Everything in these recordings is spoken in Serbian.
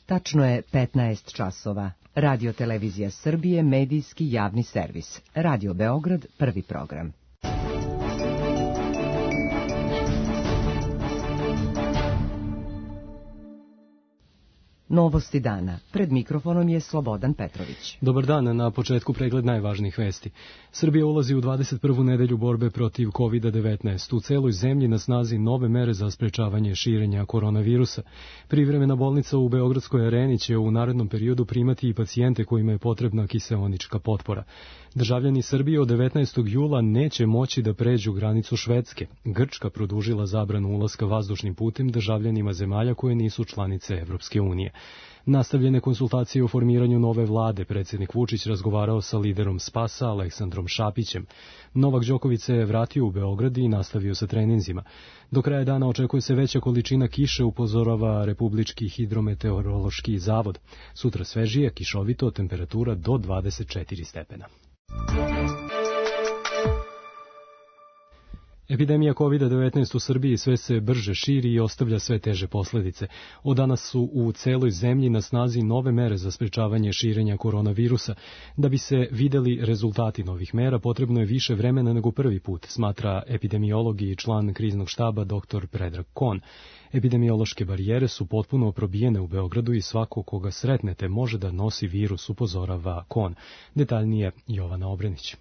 Tačno je 15 časova. Radio Televizija Srbije, medijski javni servis. Radio Beograd, prvi program. Novosti dana. Pred mikrofonom je Slobodan Petrović. Dobar dan, na početku pregled najvažnijih vesti. Srbija ulazi u 21. nedelju borbe protiv COVID-19. U celoj zemlji na snazi nove mere za sprečavanje širenja koronavirusa. Privremena bolnica u Beogradskoj areni će u narednom periodu primati i pacijente kojima je potrebna kiseonička potpora. Državljani Srbije od 19. jula neće moći da pređu granicu Švedske. Grčka produžila zabranu ulaska vazdušnim putem državljanima zemalja koje nisu članice Evropske unije. Nastavljene konsultacije o formiranju nove vlade, predsjednik Vučić razgovarao sa liderom Spasa Aleksandrom Šapićem. Novak Đoković se je vratio u Beograd i nastavio sa treninzima. Do kraja dana očekuje se veća količina kiše, upozorava Republički hidrometeorološki zavod. Sutra svežije, kišovito, temperatura do 24 stepena. Epidemija COVID-19 u Srbiji sve se brže širi i ostavlja sve teže posljedice. Od danas su u celoj zemlji na snazi nove mere za sprečavanje širenja koronavirusa. Da bi se videli rezultati novih mera, potrebno je više vremena nego prvi put, smatra epidemiolog i član kriznog štaba dr. Predrag Kon. Epidemiološke barijere su potpuno probijene u Beogradu i svako koga sretnete može da nosi virus, upozorava Kon. Detaljnije Jovana Obrenić.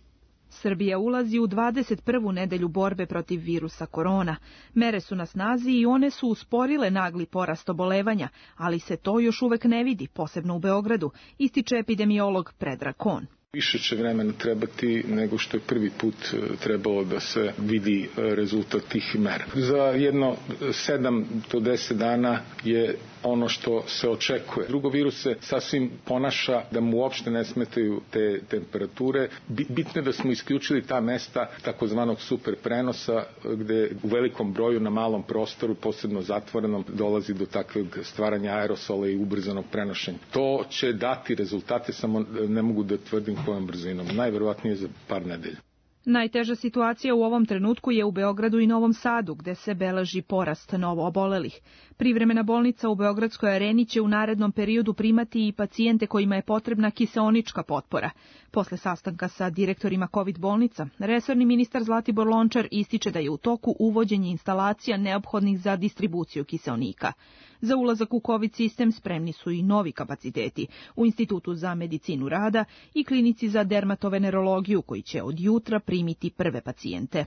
Srbija ulazi u 21. nedelju borbe protiv virusa korona. Mere su na snazi i one su usporile nagli porast obolevanja, ali se to još uvek ne vidi, posebno u Beogradu, ističe epidemiolog Predrag Kon. Više će vremena trebati nego što je prvi put trebalo da se vidi rezultat tih mera. Za jedno 7 do 10 dana je ono što se očekuje. Drugo, virus se sasvim ponaša da mu uopšte ne smetaju te temperature. Bitno je da smo isključili ta mesta takozvanog super prenosa gde u velikom broju na malom prostoru, posebno zatvorenom, dolazi do takvog stvaranja aerosola i ubrzanog prenošenja. To će dati rezultate, samo ne mogu da tvrdim kojom brzinom. Najverovatnije za par nedelja. Najteža situacija u ovom trenutku je u Beogradu i Novom Sadu, gde se beleži porast novoobolelih. Privremena bolnica u Beogradskoj areni će u narednom periodu primati i pacijente kojima je potrebna kiseonička potpora. Posle sastanka sa direktorima COVID bolnica, resorni ministar Zlatibor Lončar ističe da je u toku uvođenje instalacija neophodnih za distribuciju kiseonika. Za ulazak u COVID sistem spremni su i novi kapaciteti u Institutu za medicinu rada i klinici za dermatovenerologiju koji će od jutra primiti prve pacijente.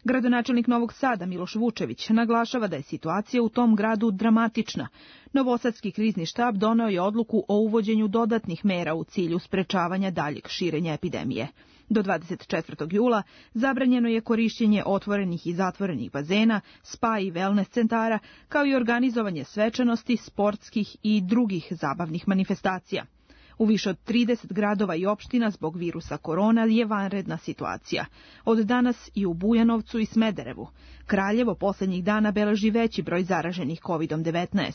Gradonačelnik Novog Sada Miloš Vučević naglašava da je situacija u tom gradu dramatična. Novosadski krizni štab doneo je odluku o uvođenju dodatnih mera u cilju sprečavanja daljeg širenja epidemije. Do 24. jula zabranjeno je korišćenje otvorenih i zatvorenih bazena, spa i wellness centara, kao i organizovanje svečanosti, sportskih i drugih zabavnih manifestacija. U više od 30 gradova i opština zbog virusa korona je vanredna situacija. Od danas i u Bujanovcu i Smederevu. Kraljevo posljednjih dana beleži veći broj zaraženih COVID-19.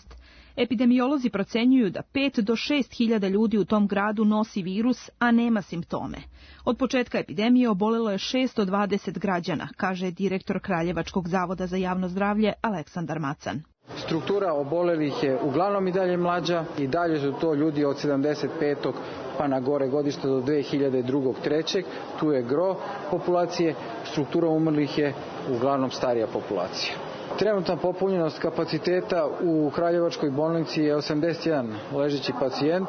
Epidemiolozi procenjuju da 5 do 6 hiljada ljudi u tom gradu nosi virus, a nema simptome. Od početka epidemije obolelo je 620 građana, kaže direktor Kraljevačkog zavoda za javno zdravlje Aleksandar Macan. Struktura obolelih je uglavnom i dalje mlađa i dalje su to ljudi od 75. pa na gore godišta do 2002. 3. Tu je gro populacije, struktura umrlih je uglavnom starija populacija. Trenutna popunjenost kapaciteta u Kraljevačkoj bolnici je 81 ležeći pacijent.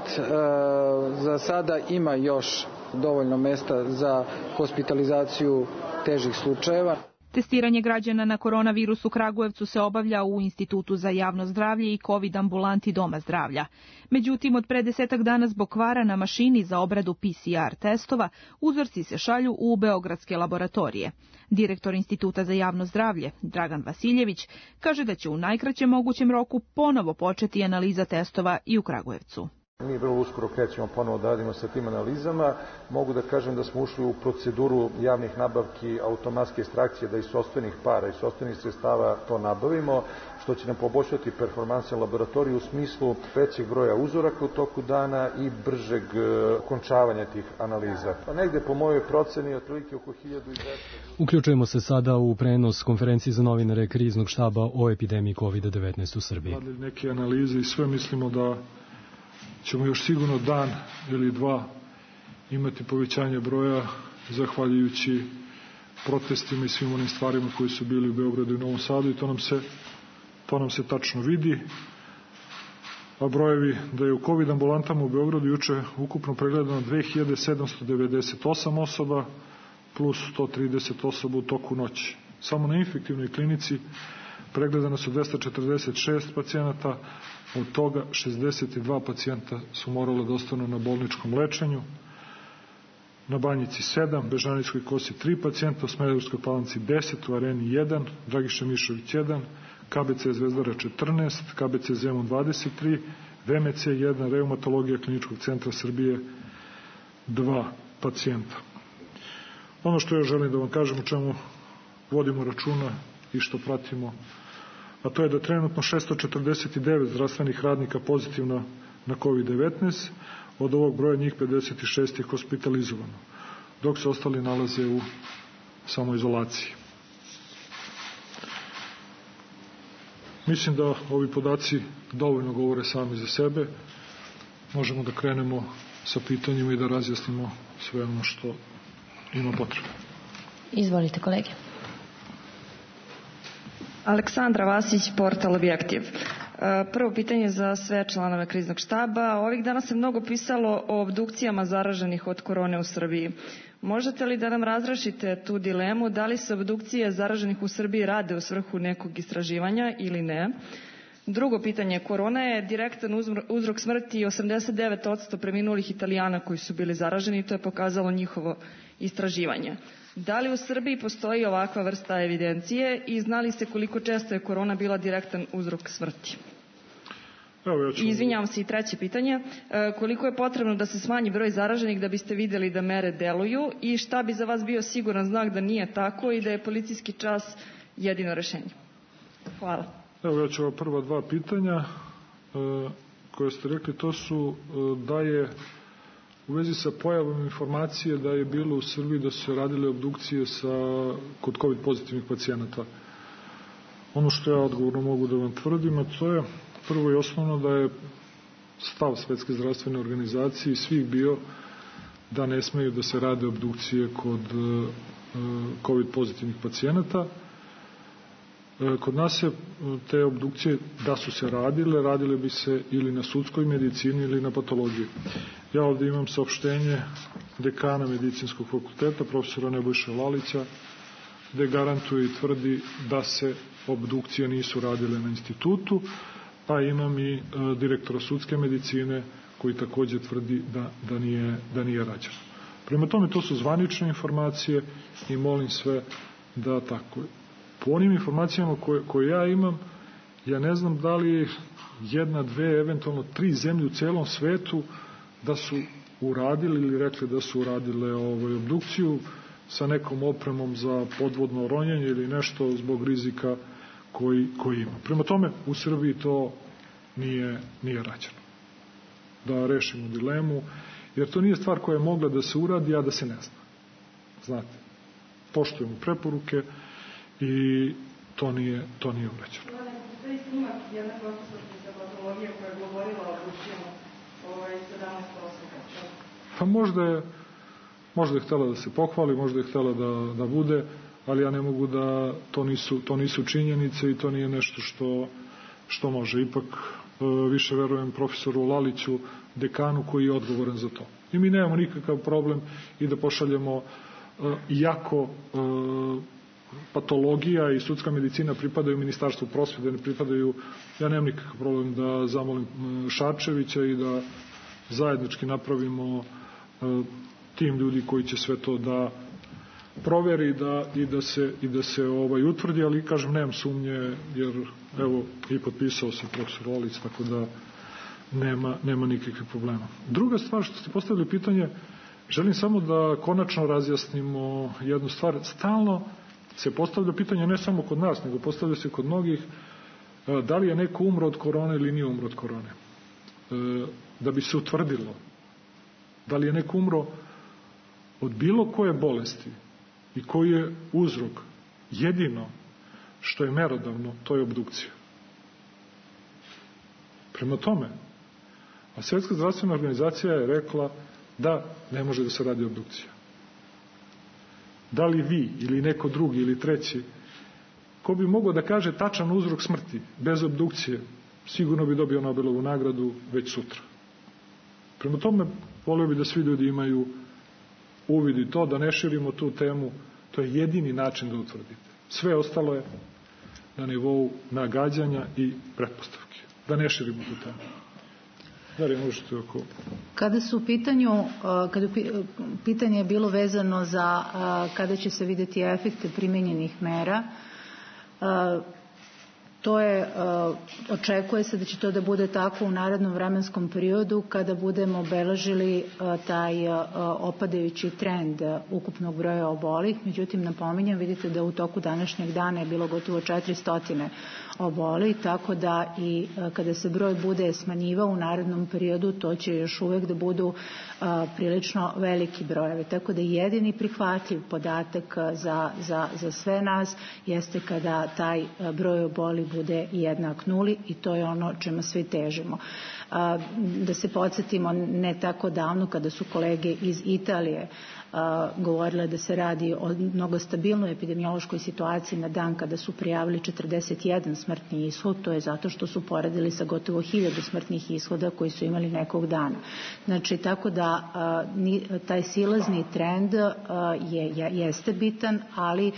Za sada ima još dovoljno mesta za hospitalizaciju težih slučajeva. Testiranje građana na koronavirus u Kragujevcu se obavlja u Institutu za javno zdravlje i COVID ambulanti Doma zdravlja. Međutim, od pre 10 dana zbog kvara na mašini za obradu PCR testova, uzorci se šalju u beogradske laboratorije. Direktor Instituta za javno zdravlje, Dragan Vasiljević, kaže da će u najkraćem mogućem roku ponovo početi analiza testova i u Kragujevcu. Mi vrlo uskoro krećemo ponovo da radimo sa tim analizama. Mogu da kažem da smo ušli u proceduru javnih nabavki automatske ekstrakcije, da iz sopstvenih para i sopstvenih sredstava to nabavimo, što će nam poboljšati performanse laboratorije u smislu većeg broja uzoraka u toku dana i bržeg okončavanja tih analiza. Pa negde po mojoj proceni otprilike oko 1200. Uključujemo se sada u prenos konferencije za novinare kriznog štaba o epidemiji COVID-19 u Srbiji. Radili neke analize i sve mislimo da ćemo još sigurno dan ili dva imati povećanje broja zahvaljujući protestima i svim onim stvarima koji su bili u Beogradu i Novom Sadu i to nam se tačno vidi. A brojevi da je u COVID ambulantama u Beogradu juče ukupno pregledano 2798 osoba plus 130 osoba u toku noći. Samo na infektivnoj klinici pregledano su 246 pacijenata, od toga 62 pacijenta su morali da ostanu na bolničkom lečenju, na Banjici 7, Bežanijskoj Kosi 3 pacijenta, u Smederevskoj Palanci 10, u Areni 1, Dragiša Mišović 1, KBC Zvezdara 14, KBC Zemun 23, VMC 1, Reumatologija Kliničkog centra Srbije 2 pacijenta. Ono što ja želim da vam kažem, o čemu vodimo računa i što pratimo, a to je da trenutno 649 zdravstvenih radnika pozitivno na COVID-19, od ovog broja njih 56 je hospitalizovano, dok se ostali nalaze u samoizolaciji. Mislim da ovi podaci dovoljno govore sami za sebe. Možemo da krenemo sa pitanjima i da razjasnimo sve ono što ima potrebe. Izvolite, kolege. Aleksandra Vasić, portal Objektiv. Prvo pitanje za sve članove kriznog štaba. Ovih dana se mnogo pisalo o obdukcijama zaraženih od korone u Srbiji. Možete li da nam razrešite tu dilemu, da li se obdukcije zaraženih u Srbiji rade u svrhu nekog istraživanja ili ne? Drugo pitanje, korona je direktan uzrok smrti 89% preminulih Italijana koji su bili zaraženi i to je pokazalo njihovo istraživanje. Da li u Srbiji postoji ovakva vrsta evidencije i zna li se koliko često je korona bila direktan uzrok smrti? Izvinjavam se, i treće pitanje, koliko je potrebno da se smanji broj zaraženih da biste vidjeli da mere deluju i šta bi za vas bio siguran znak da nije tako i da je policijski čas jedino rešenje? Hvala. Evo, ja ću ova prva dva pitanja koje ste rekli, to su da je u vezi sa pojavom informacije da je bilo u Srbiji da su se radile obdukcije kod COVID pozitivnih pacijenata. Ono što ja odgovorno mogu da vam tvrdim, a to je prvo i osnovno da je stav Svetske zdravstvene organizacije i svih bio da ne smeju da se rade obdukcije kod COVID pozitivnih pacijenata. Kod nas se te obdukcije, da su se radile bi se ili na sudskoj medicini ili na patologiji. Ja ovde imam saopštenje dekana Medicinskog fakulteta, profesora Nebojše Lalića, gde garantuje i tvrdi da se obdukcije nisu radile na institutu, pa imam i direktora sudske medicine koji takođe tvrdi da nije rađeno. Prema tome, to su zvanične informacije i molim sve da tako. Po onim informacijama koje ja imam, ja ne znam da li jedna, dve, eventualno 3 zemlje u celom svetu da su uradili ili rekli da su uradile obdukciju sa nekom opremom za podvodno ronjenje ili nešto zbog rizika koji ima. Prema tome, u Srbiji to nije rađeno. Da rešimo dilemu, jer to nije stvar koja je mogla da se uradi, a da se ne zna. Znate, poštujemo preporuke i to nije urađeno. To je snimak jedna profesorka patologije koja je govorila o obdukcijama 17 osoba. Pa možda je htela da se pohvali, možda je htela da bude, ali ja ne mogu da to nisu činjenice i to nije nešto što može. Ipak više verujem profesoru Laliću, dekanu koji je odgovoran za to. I mi nemamo nikakav problem i da pošaljemo, iako patologija i sudska medicina pripadaju Ministarstvu prosvete, ne pripadaju, ja nemam nikakav problem da zamolim Šarčevića i da zajednički napravimo tim ljudi koji će sve to da proveri i da se utvrdi, ali kažem, nemam sumnje, jer evo i potpisao se profesor Lalić, tako da nema nikakvih problema. Druga stvar što ste postavili pitanje, želim samo da konačno razjasnimo jednu stvar. Stalno se postavlja pitanje ne samo kod nas, nego postavlja se kod mnogih, da li je neko umro od korone ili nije umro od korone. Da bi se utvrdilo da li je neko umro od bilo koje bolesti i koji je uzrok, jedino što je merodavno, to je obdukcija. Prema tome, A Svjetska zdravstvena organizacija je rekla da ne može da se radi obdukcija. Da li vi ili neko drugi ili treći, ko bi mogao da kaže tačan uzrok smrti bez obdukcije, sigurno bi dobio Nobelovu nagradu već sutra. Prema tome, volio bi da svi ljudi imaju uvid i to, da ne širimo tu temu, to je jedini način da utvrdite. Sve ostalo je na nivou nagađanja i pretpostavke. Da ne širimo tu temu. Da li možete oko... Kada su u pitanju, pitanje je bilo vezano za kada će se vidjeti efekte primenjenih mera, to je, očekuje se da će to da bude tako u narednom vremenskom periodu kada budemo obeležili taj opadajući trend ukupnog broja obolih. Međutim, napominjem, vidite da u toku današnjeg dana je bilo gotovo 400 oboli, tako da i kada se broj bude smanjivao u narednom periodu, to će još uvek da budu prilično veliki brojevi. Tako da jedini prihvatljiv podatak za sve nas jeste kada taj broj oboli bude jednak nuli i to je ono čemu svi težimo. Da se podsjetimo, ne tako davno kada su kolege iz Italije govorile da se radi o mnogo stabilnoj epidemiološkoj situaciji na dan kada su prijavili 41 smrtni ishod, to je zato što su poredili sa gotovo 1000 smrtnih ishoda koji su imali nekog dana. Znači, tako da taj silazni trend jeste bitan, ali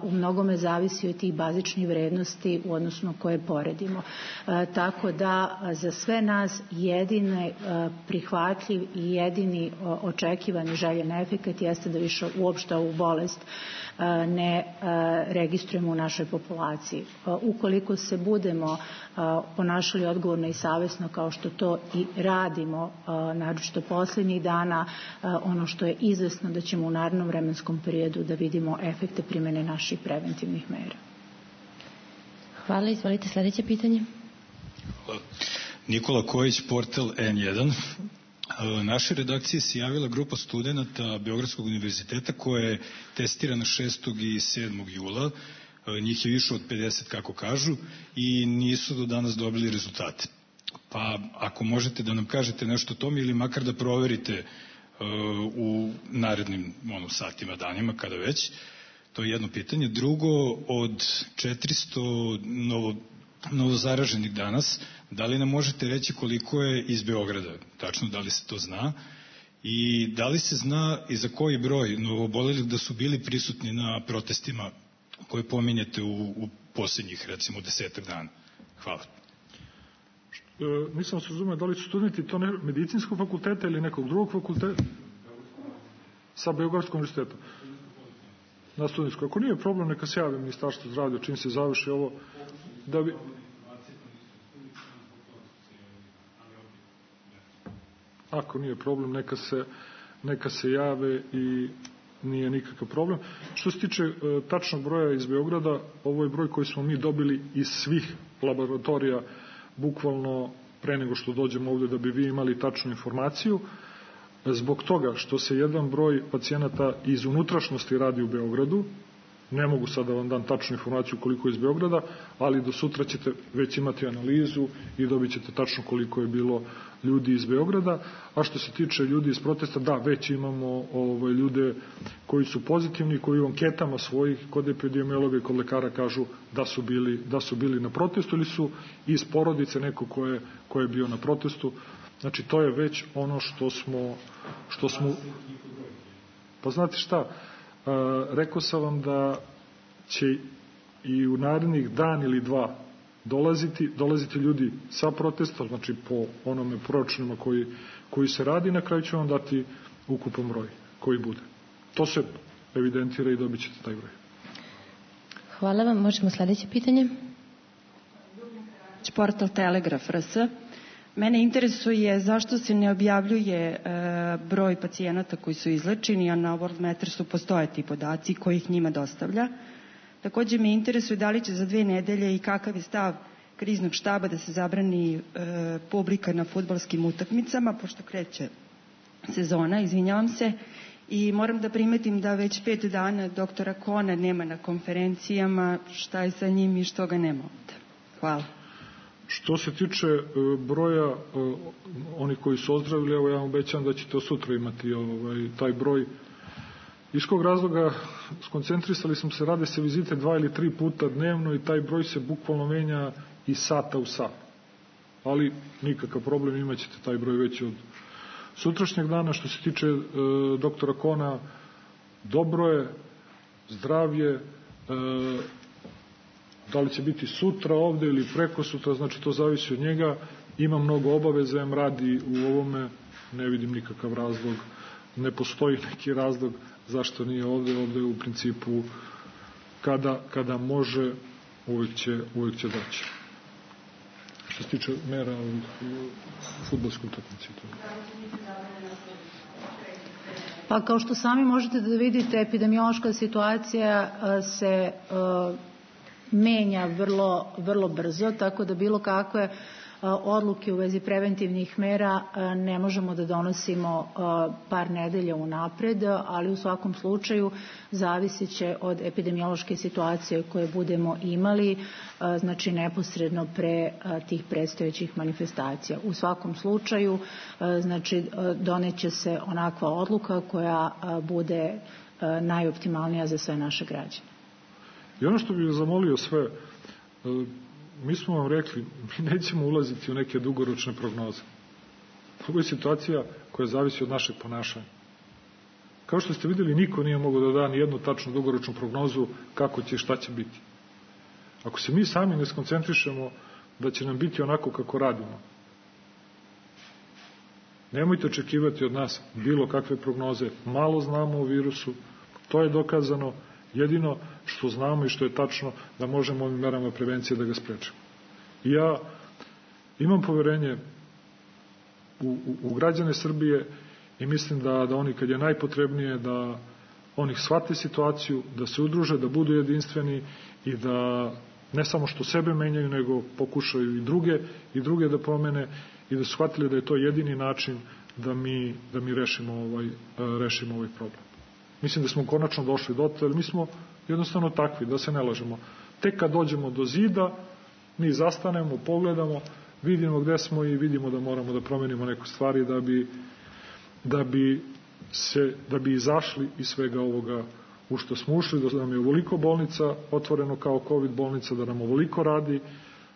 u mnogome zavisi od tih bazičnih vrednosti u odnosu na koje poredimo. Tako da za sve nas jedini prihvatljiv i jedini očekivani željen efekt jeste da više uopšte ovu bolest ne registrujemo u našoj populaciji. Ukoliko se budemo ponašali odgovorno i savjesno kao što to i radimo, naročito posljednjih dana, ono što je izvesno da ćemo u narednom vremenskom periodu da vidimo efekte primjene naših preventivnih mera. Hvala, izvolite sljedeće pitanje. Hvala. Nikola Kojić, portal N1. Našoj redakciji se javila grupa studenta Beogradskog univerziteta koja je testirana 6. i 7. jula. Njih je više od 50, kako kažu, i nisu do danas dobili rezultate. Pa ako možete da nam kažete nešto o tome ili makar da proverite u narednim satima, danima, kada već. To je jedno pitanje. Drugo, od 400 novozaraženih danas, da li nam možete reći koliko je iz Beograda? Tačno, da li se to zna? I da li se zna i za koji broj novoobolelih da su bili prisutni na protestima koje pominjete u posljednjih, recimo, 10 dana? Hvala. Nisam se razumio, da li su studenti to medicinskog fakulteta ili nekog drugog fakulteta? Sa Beogradskog univerziteta. Na studentskoj. Ako nije problem, neka se javi Ministarstvo zdravlja čim se završi ovo, da bi... Ako nije problem, neka se jave i nije nikakav problem. Što se tiče tačnog broja iz Beograda, ovo je broj koji smo mi dobili iz svih laboratorija, bukvalno pre nego što dođemo ovdje da bi vi imali tačnu informaciju. Zbog toga što se jedan broj pacijenata iz unutrašnjosti radi u Beogradu, ne mogu sad da vam dam tačnu informaciju koliko je iz Beograda, ali do sutra ćete već imati analizu i dobit ćete tačno koliko je bilo ljudi iz Beograda. A što se tiče ljudi iz protesta, da, već imamo ljude koji su pozitivni, koji u anketama svojih kod epidemiologa i kod lekara kažu da su bili na protestu ili su iz porodice neko ko je bio na protestu. Znači, to je već ono što smo pa znate šta, rekao sam vam da će i u narednih dan ili dva dolaziti ljudi sa protesta, znači po onome proračunima koji se radi, na kraju ću vam dati ukupan broj koji bude. To se evidentira i dobit ćete taj broj. Hvala vam. Možemo sljedeće pitanje. Portal Telegraf RS. Mene interesuje zašto se ne objavljuje broj pacijenata koji su izlečeni, a na World Mattersu postoje ti podaci koji ih njima dostavlja. Također me interesuje da li će za 2 nedelje i kakav je stav kriznog štaba da se zabrani publika na fudbalskim utakmicama, pošto kreće sezona, izvinjavam se. I moram da primetim da već 5 dana doktora Kona nema na konferencijama, šta je sa njim i što ga nema ovdje. Hvala. Što se tiče broja onih koji su ozdravili, evo ja vam obećam da ćete sutra imati taj broj. Iz kog razloga skoncentrisali smo se, rade se vizite 2 ili 3 puta dnevno i taj broj se bukvalno menja iz sata u sat. Ali nikakav problem, imat ćete taj broj već od sutrašnjeg dana. Što se tiče doktora Kona, dobro je, zdravlje, da li će biti sutra ovde ili preko sutra, znači to zavisi od njega. Ima mnogo obaveza, radi u ovome, ne vidim nikakav razlog, ne postoji neki razlog zašto nije ovde. Ovde u principu kada može uvijek će doći. Što se tiče mera u fudbalskoj utakmici. Pa kao što sami možete da vidite, epidemiološka situacija se menja vrlo brzo, tako da bilo kakve odluke u vezi preventivnih mera ne možemo da donosimo par nedelja unapred, ali u svakom slučaju zavisit će od epidemiološke situacije koje budemo imali, znači neposredno pre tih predstojećih manifestacija. U svakom slučaju, znači doneće se onakva odluka koja bude najoptimalnija za sve naše građane. I ono što bih zamolio sve, mi smo vam rekli, mi nećemo ulaziti u neke dugoročne prognoze. Ovo je situacija koja zavisi od našeg ponašanja. Kao što ste videli, niko nije mogao da da ni jednu tačnu dugoročnu prognozu kako će i šta će biti. Ako se mi sami ne skoncentrišemo da će nam biti onako kako radimo, nemojte očekivati od nas bilo kakve prognoze. Malo znamo o virusu, to je dokazano. Jedino što znamo i što je tačno da možemo ovim merama prevencije da ga sprečimo. I ja imam poverenje u građane Srbije i mislim da oni kad je najpotrebnije da oni shvate situaciju, da se udruže, da budu jedinstveni i da ne samo što sebe menjaju, nego pokušaju i druge da promene i da shvatili da je to jedini način da mi rešimo ovaj problem. Mislim da smo konačno došli do toga, jer mi smo jednostavno takvi, da se ne lažemo. Tek kad dođemo do zida, mi zastanemo, pogledamo, vidimo gde smo i vidimo da moramo da promenimo neke stvari da bi izašli iz svega ovoga u što smo ušli, da nam je ovoliko bolnica otvoreno kao COVID bolnica, da nam ovoliko radi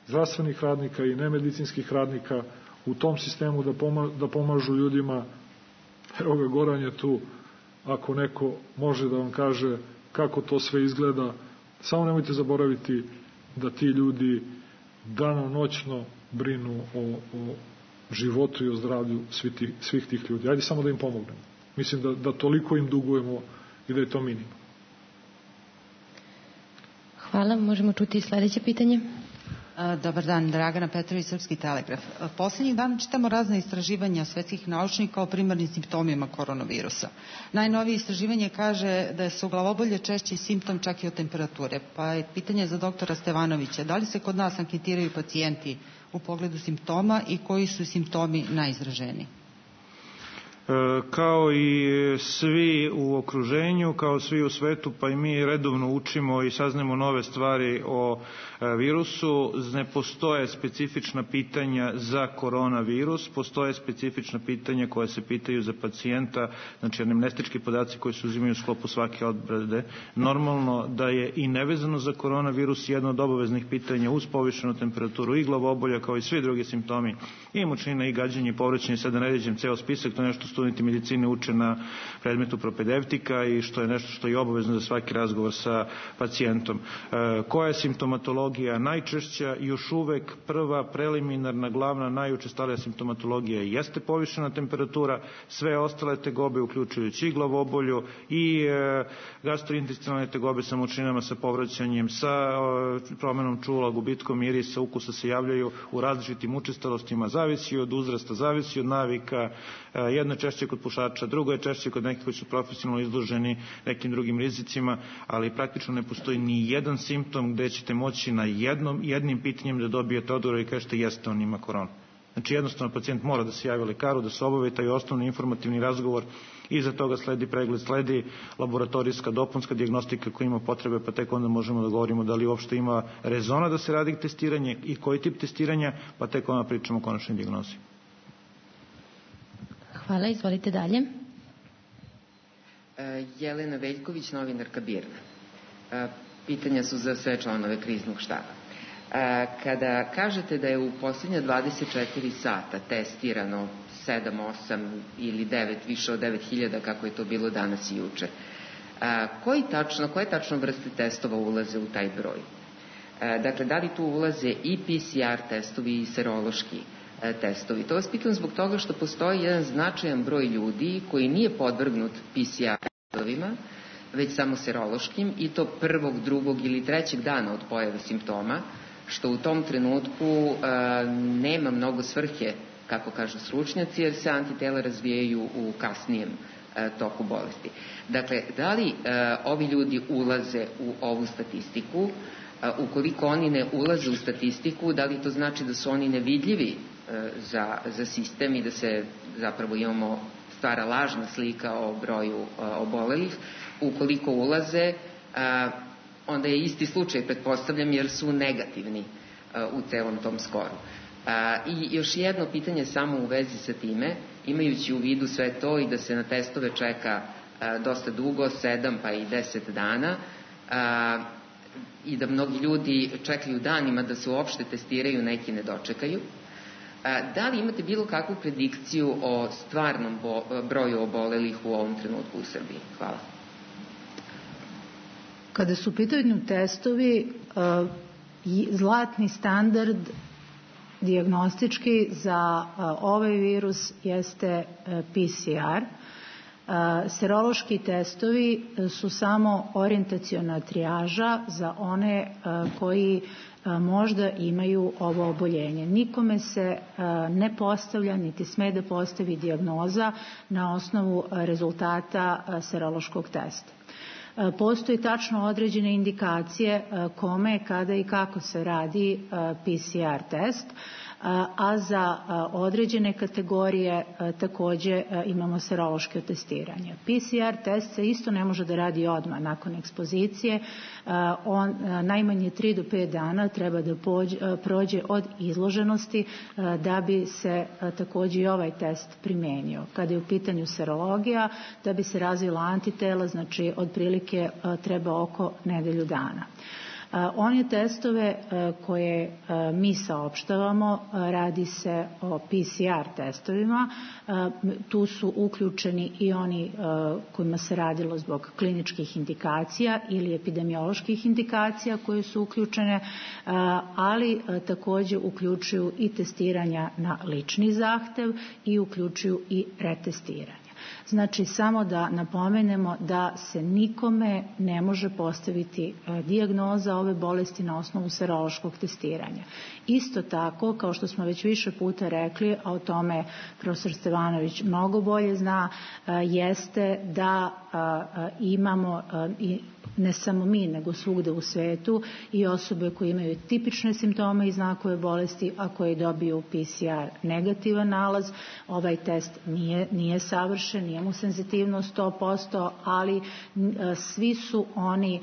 zdravstvenih radnika i nemedicinskih radnika u tom sistemu da pomažu ljudima. Evo ga, Goran je tu, ako neko može da vam kaže kako to sve izgleda, samo nemojte zaboraviti da ti ljudi danonoćno brinu o životu i o zdravlju svih tih ljudi. Ajde samo da im pomognemo. Mislim da toliko im dugujemo i da je to minimum. Hvala. Možemo čuti sledeće pitanje. Dobar dan, Dragana Petrović, Srpski telegraf. Poslednjih dana čitamo razne istraživanja svetskih naučnika o primarnim simptomima koronavirusa. Najnovije istraživanje kaže da su glavobolje češći simptom čak i od temperature. Pa je pitanje za doktora Stevanovića, da li se kod nas anketiraju pacijenti u pogledu simptoma i koji su simptomi najizraženiji? Kao i svi u okruženju, kao svi u svetu, pa i mi redovno učimo i saznamo nove stvari o virusu. Ne postoje specifična pitanja za koronavirus, postoje specifična pitanja koja se pitaju za pacijenta, znači anemnestički podaci koji se uzimaju u sklopu svake obrade. Normalno da je i nevezano za koronavirus jedno od obaveznih pitanja uz povišenu temperaturu i glavobolja kao i svi drugi simptomi i mučnina i gađanje i povraćanje, sada ne ređem ceo spisak, to je nešto studenti medicine uče na predmetu propedevtika i što je nešto što je obavezno za svaki razgovor sa pacijentom. Koja je simptomatologija najčešća? Još uvek prva, preliminarna, glavna, najučestalija simptomatologija jeste povišena temperatura, sve ostale tegobe, uključujući i glavobolju i gastrointestinalne tegobe sa mučninama, sa povraćanjem, sa promenom čula, gubitkom mirisa, ukusa se javljaju u različitim učestalostima, zavisi od uzrasta, zavisi od navika, jedna češće kod pušača, drugo je češće kod nekih koji su profesionalno izloženi nekim drugim rizicima, ali praktično ne postoji ni jedan simptom gde ćete moći na jednim pitanjem da dobijete odgovor i kažete jeste, on ima koronu. Znači jednostavno pacijent mora da se javi lekaru, da se obavi taj osnovni informativni razgovor, iza toga sledi pregled, sledi laboratorijska dopunska dijagnostika koja ima potrebe, pa tek onda možemo da govorimo da li uopšte ima rezona da se radi testiranje i koji tip testiranja, pa tek onda pričamo o konačnoj dijagnozi. Hvala, izvolite dalje. Jelena Veljković, novinarka BIRN. Pitanja su za sve članove kriznog štaba. Kada kažete da je u posljednja 24 sata testirano 7, 8 ili 9, više od 9.000, kako je to bilo danas i juče, koje tačno vrste testova ulaze u taj broj? Dakle, da li tu ulaze i PCR testovi i serološki testovi? To vas pitam zbog toga što postoji jedan značajan broj ljudi koji nije podvrgnut PCR testovima, već samo serološkim, i to 1., 2. ili 3. dana od pojave simptoma, što u tom trenutku nema mnogo svrhe, kako kažu stručnjaci, jer se antitela razvijaju u kasnijem toku bolesti. Dakle, da li ovi ljudi ulaze u ovu statistiku? Ukoliko oni ne ulaze u statistiku, da li to znači da su oni nevidljivi za sistem i da se zapravo stvara lažna slika o broju obolelih? Ukoliko ulaze, onda je isti slučaj, pretpostavljam, jer su negativni u celom tom skoru. I još jedno pitanje samo u vezi sa time, imajući u vidu sve to i da se na testove čeka dosta dugo, 7 pa i 10 dana, i da mnogi ljudi čekaju danima da se uopšte testiraju, neki ne dočekaju. Da li imate bilo kakvu predikciju o stvarnom broju obolelih u ovom trenutku u Srbiji? Hvala. Kada su u pitanju testovi, zlatni standard dijagnostički za ovaj virus jeste PCR. Serološki testovi su samo orijentaciona trijaža za one koji možda imaju ovo oboljenje. Nikome se ne postavlja, niti sme da postavi dijagnoza na osnovu rezultata serološkog testa. Postoji tačno određene indikacije kome, kada i kako se radi PCR test, a za određene kategorije takođe imamo serološke testiranje. PCR test se isto ne može da radi odmah nakon ekspozicije, on najmanje 3 do 5 dana treba da prođe od izloženosti da bi se takođe i ovaj test primenio. Kada je u pitanju serologija, da bi se razvila antitela, znači otprilike treba oko nedelju dana. One testove koje mi saopštavamo, radi se o PCR testovima, tu su uključeni i oni kojima se radilo zbog kliničkih indikacija ili epidemioloških indikacija koje su uključene, ali takođe uključuju i testiranja na lični zahtev i uključuju i retestiranje. Znači, samo da napomenemo da se nikome ne može postaviti dijagnoza ove bolesti na osnovu serološkog testiranja. Isto tako, kao što smo već više puta rekli, a o tome profesor Stevanović mnogo bolje zna, jeste da imamo i ne samo mi, nego svugde u svetu i osobe koje imaju tipične simptome i znakove bolesti, a koje dobiju PCR negativan nalaz. Ovaj test nije savršen, nije mu senzitivnost 100%, ali svi su oni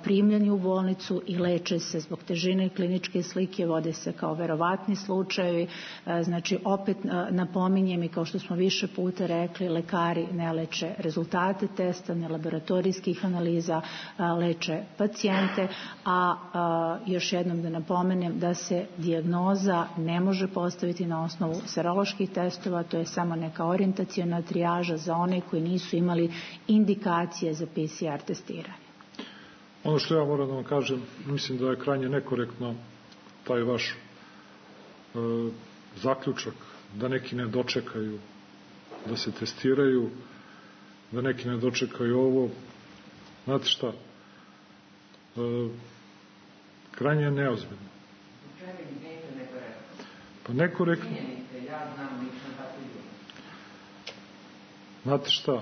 primljeni u bolnicu i leče se zbog težine kliničke slike, vode se kao verovatni slučajevi. Znači, opet napominjem i kao što smo više puta rekli, lekari ne leče rezultate testa, ne laboratorijskih analiza, leče pacijente, a još jednom da napomenem da se dijagnoza ne može postaviti na osnovu seroloških testova, to je samo neka orijentaciona trijaža za one koji nisu imali indikacije za PCR testiranje. Ono što ja moram da vam kažem, mislim da je krajnje nekorektno taj vaš zaključak da neki ne dočekaju da se testiraju, da neki ne dočekaju ovo. Znate šta, krajnje je neozbiljno. Pa nekorektno. Znate šta,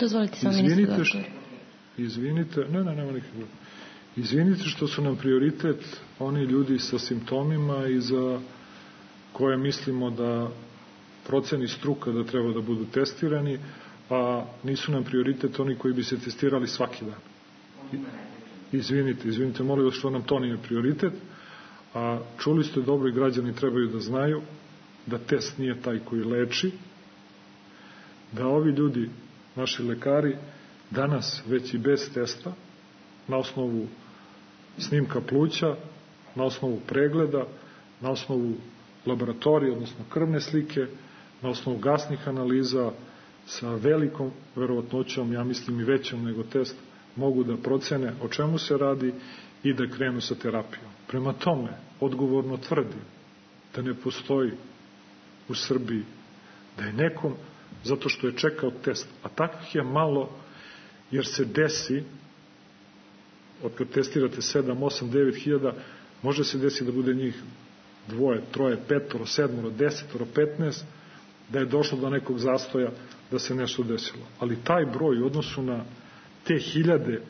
dozvolite samo ministru. Izvinite što su nam prioritet oni ljudi sa simptomima i za koje mislimo da proceni struka da treba da budu testirani, a nisu nam prioritet oni koji bi se testirali svaki dan. Izvinite, molim vas što nam to nije prioritet, a čuli ste dobro i građani trebaju da znaju da test nije taj koji leči, da ovi ljudi, naši lekari, danas već i bez testa, na osnovu snimka pluća, na osnovu pregleda, na osnovu laboratorije, odnosno krvne slike, na osnovu gasnih analiza, sa velikom verovatnoćom, ja mislim i većom nego test, mogu da procene o čemu se radi i da krenu sa terapijom. Prema tome, odgovorno tvrdim da ne postoji u Srbiji da je nekom, zato što je čekao test, a takvih je malo, jer se desi, od kad testirate 7, 8, 9 hiljada, može se desiti da bude njih 2, 3, 5, 7, 10, 15, da je došlo do nekog zastoja, da se nešto desilo. Ali taj broj u odnosu na te hiljade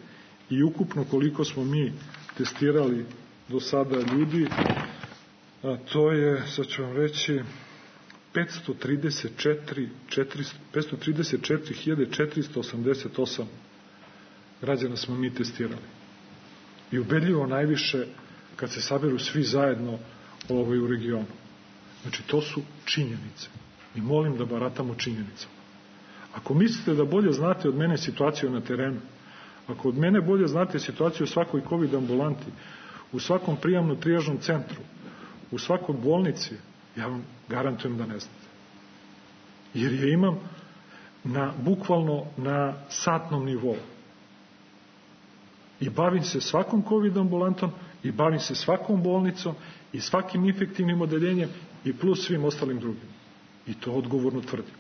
i ukupno koliko smo mi testirali do sada ljudi, a to je, sad ću vam reći, 534.488 građana smo mi testirali. I ubedljivo najviše kad se saberu svi zajedno u regionu. Znači, to su činjenice. I molim da baratamo činjenicama. Ako mislite da bolje znate od mene situaciju na terenu, ako od mene bolje znate situaciju u svakoj COVID ambulanti, u svakom prijamno-trijažnom centru, u svakoj bolnici, ja vam garantujem da ne znate. Jer je imam bukvalno na satnom nivou. I bavim se svakom COVID ambulantom, i bavim se svakom bolnicom, i svakim infektivnim odeljenjem, i plus svim ostalim drugim. I to odgovorno tvrdim.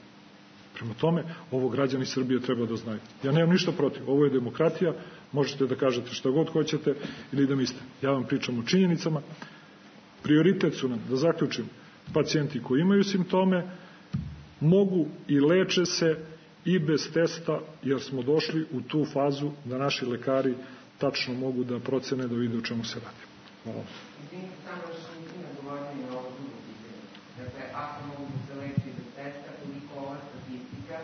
Prema tome, ovo građani Srbije treba da znaju. Ja nemam ništa protiv. Ovo je demokratija, možete da kažete šta god hoćete ili da mislite. Ja vam pričam o činjenicama. Prioritet su nam, da zaključim, pacijenti koji imaju simptome mogu i leče se i bez testa, jer smo došli u tu fazu da naši lekari tačno mogu da procene, da vide o čemu se radi. Hvala. Samo još nisam nagovorili o ovo drugo pitanje. Dakle, ako mogu da se leči bez testa, koliko ova statistika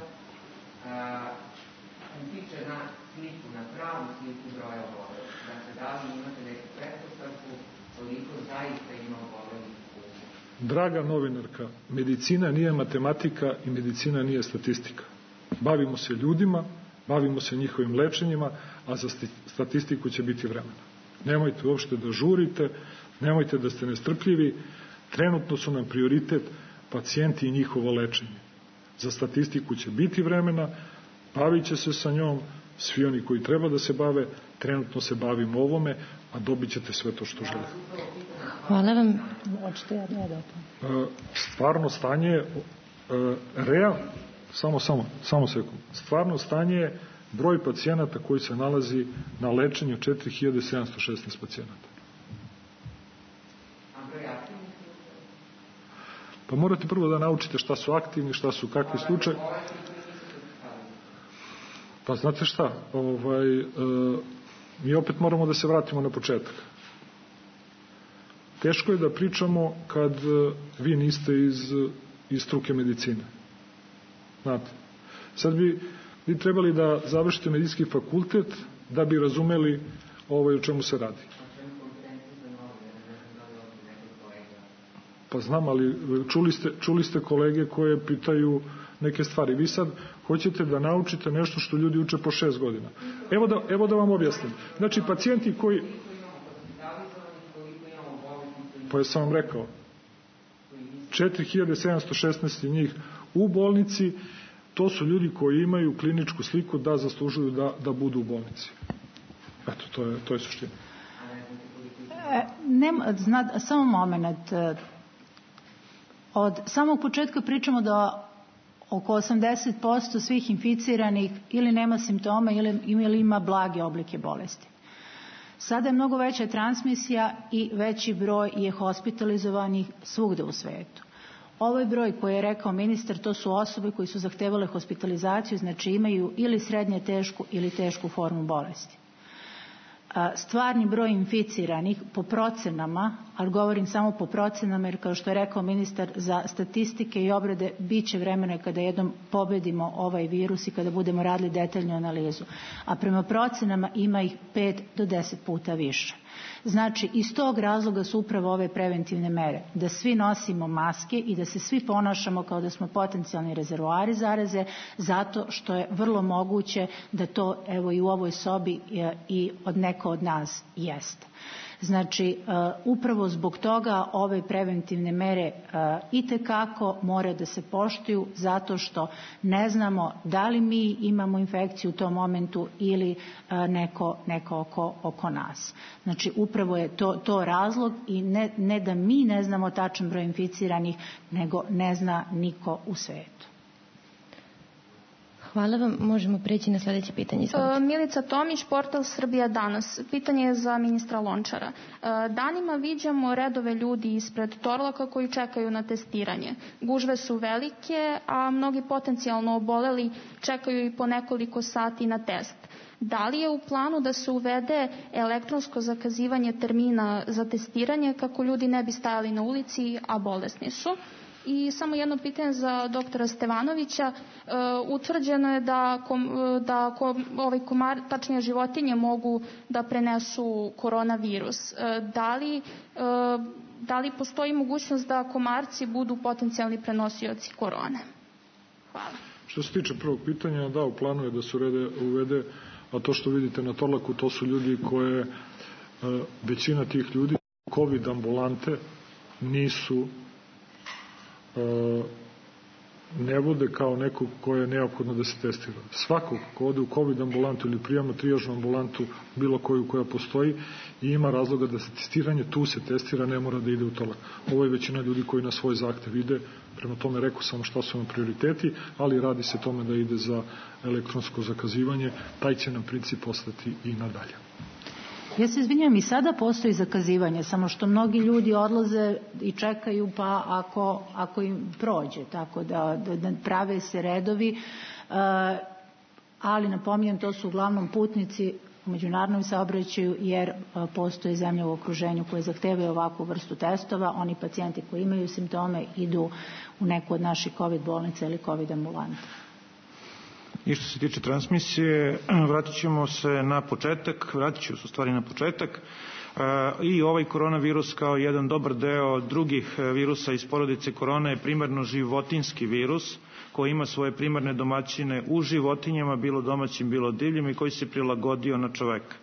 utiče na sliku, na pravu sliku broja obolelih. Dakle, da li imate neku pretpostavku koliko zaista ima obolelih? Draga novinarka, medicina nije matematika i medicina nije statistika. Bavimo se ljudima, bavimo se njihovim lečenjima, a za statistiku će biti vremena. Nemojte uopšte da žurite, nemojte da ste nestrpljivi, trenutno su nam prioritet pacijenti i njihovo lečenje. Za statistiku će biti vremena, bavit će se sa njom svi oni koji treba da se bave, trenutno se bavimo ovome, a dobit ćete sve to što želite. Hvala vam. Stvarno stanje samo sekund. Stvarno stanje je broj pacijenata koji se nalazi na lečenju 4716 pacijenata. Pa morate prvo da naučite šta su aktivni, šta su kakvi slučaj. Pa znate šta, mi opet moramo da se vratimo na početak. Teško je da pričamo kad vi niste iz struke medicine. Znate, sad bi vi trebali da završite medicinski fakultet da bi razumeli o čemu se radi. Pa znam, ali čuli ste kolege koje pitaju neke stvari. Vi sad hoćete da naučite nešto što ljudi uče po 6 godina. Evo da vam objasnim. Znači, pacijenti koji... Pa ja sam vam rekao, 4716 njih u bolnici, to su ljudi koji imaju kliničku sliku da zaslužuju da budu u bolnici. Eto, to je suština. Samo moment. Od samog početka pričamo da oko 80% svih inficiranih ili nema simptoma ili ima blage oblike bolesti. Sada je mnogo veća transmisija i veći broj je hospitalizovanih svugde u svetu. Ovaj broj koji je rekao ministar, to su osobe koji su zahtevale hospitalizaciju, znači imaju ili srednje tešku ili tešku formu bolesti. Stvarni broj inficiranih po procenama, ali govorim samo po procenama jer kao što je rekao ministar, za statistike i obrade bit će vremena kada jednom pobedimo ovaj virus i kada budemo radili detaljnu analizu. A prema procenama ima ih 5 do 10 puta više. Znači, iz tog razloga su upravo ove preventivne mere, da svi nosimo maske i da se svi ponašamo kao da smo potencijalni rezervoari zaraze, zato što je vrlo moguće da to, evo i u ovoj sobi, i od neko od nas jeste. Znači, upravo zbog toga ove preventivne mere itekako mora da se poštuju, zato što ne znamo da li mi imamo infekciju u tom momentu ili neko oko nas. Znači, upravo je to razlog i ne da mi ne znamo tačan broj inficiranih, nego ne zna niko u svetu. Hvala vam. Možemo preći na sljedeće pitanje. Milica Tomić, portal Srbija danas. Pitanje je za ministra Lončara. Danima viđamo redove ljudi ispred Torlaka koji čekaju na testiranje. Gužve su velike, a mnogi potencijalno oboleli čekaju i po nekoliko sati na test. Da li je u planu da se uvede elektronsko zakazivanje termina za testiranje kako ljudi ne bi stajali na ulici, a bolesni su? I samo jedno pitanje za doktora Stevanovića. Utvrđeno je da tačnije životinje mogu da prenesu koronavirus. Da li postoji mogućnost da komarci budu potencijalni prenosioci korone? Hvala. Što se tiče prvog pitanja, da, u planu je da se uvede, a to što vidite na Torlaku, to su ljudi koje, većina tih ljudi, COVID ambulante nisu ne vode kao nekog ko je neophodno da se testira. Svakog ko ode u COVID ambulantu ili prijamno trijažnu ambulantu, bilo koju koja postoji i ima razloga da se testiranje, tu se testira, ne mora da ide u Torlak. Ovo je većina ljudi koji na svoj zahtev ide, prema tome rekao sam šta su nam prioriteti, ali radi se tome da ide za elektronsko zakazivanje, taj će nam princip ostati i nadalje. Ja se izvinjam, i sada postoji zakazivanje, samo što mnogi ljudi odlaze i čekaju pa ako im prođe, tako da prave se redovi, ali napominjem, to su uglavnom putnici u međunarodnom saobraćaju, jer postoje zemlje u okruženju koje zahtevaju ovakvu vrstu testova. Oni pacijenti koji imaju simptome idu u neku od naših COVID bolnica ili COVID ambulanta. I što se tiče transmisije, vratit ću se na početak. I ovaj koronavirus kao jedan dobar deo drugih virusa iz porodice korona je primarno životinski virus koji ima svoje primarne domaćine u životinjama, bilo domaćim, bilo divljim, i koji se prilagodio na čoveka.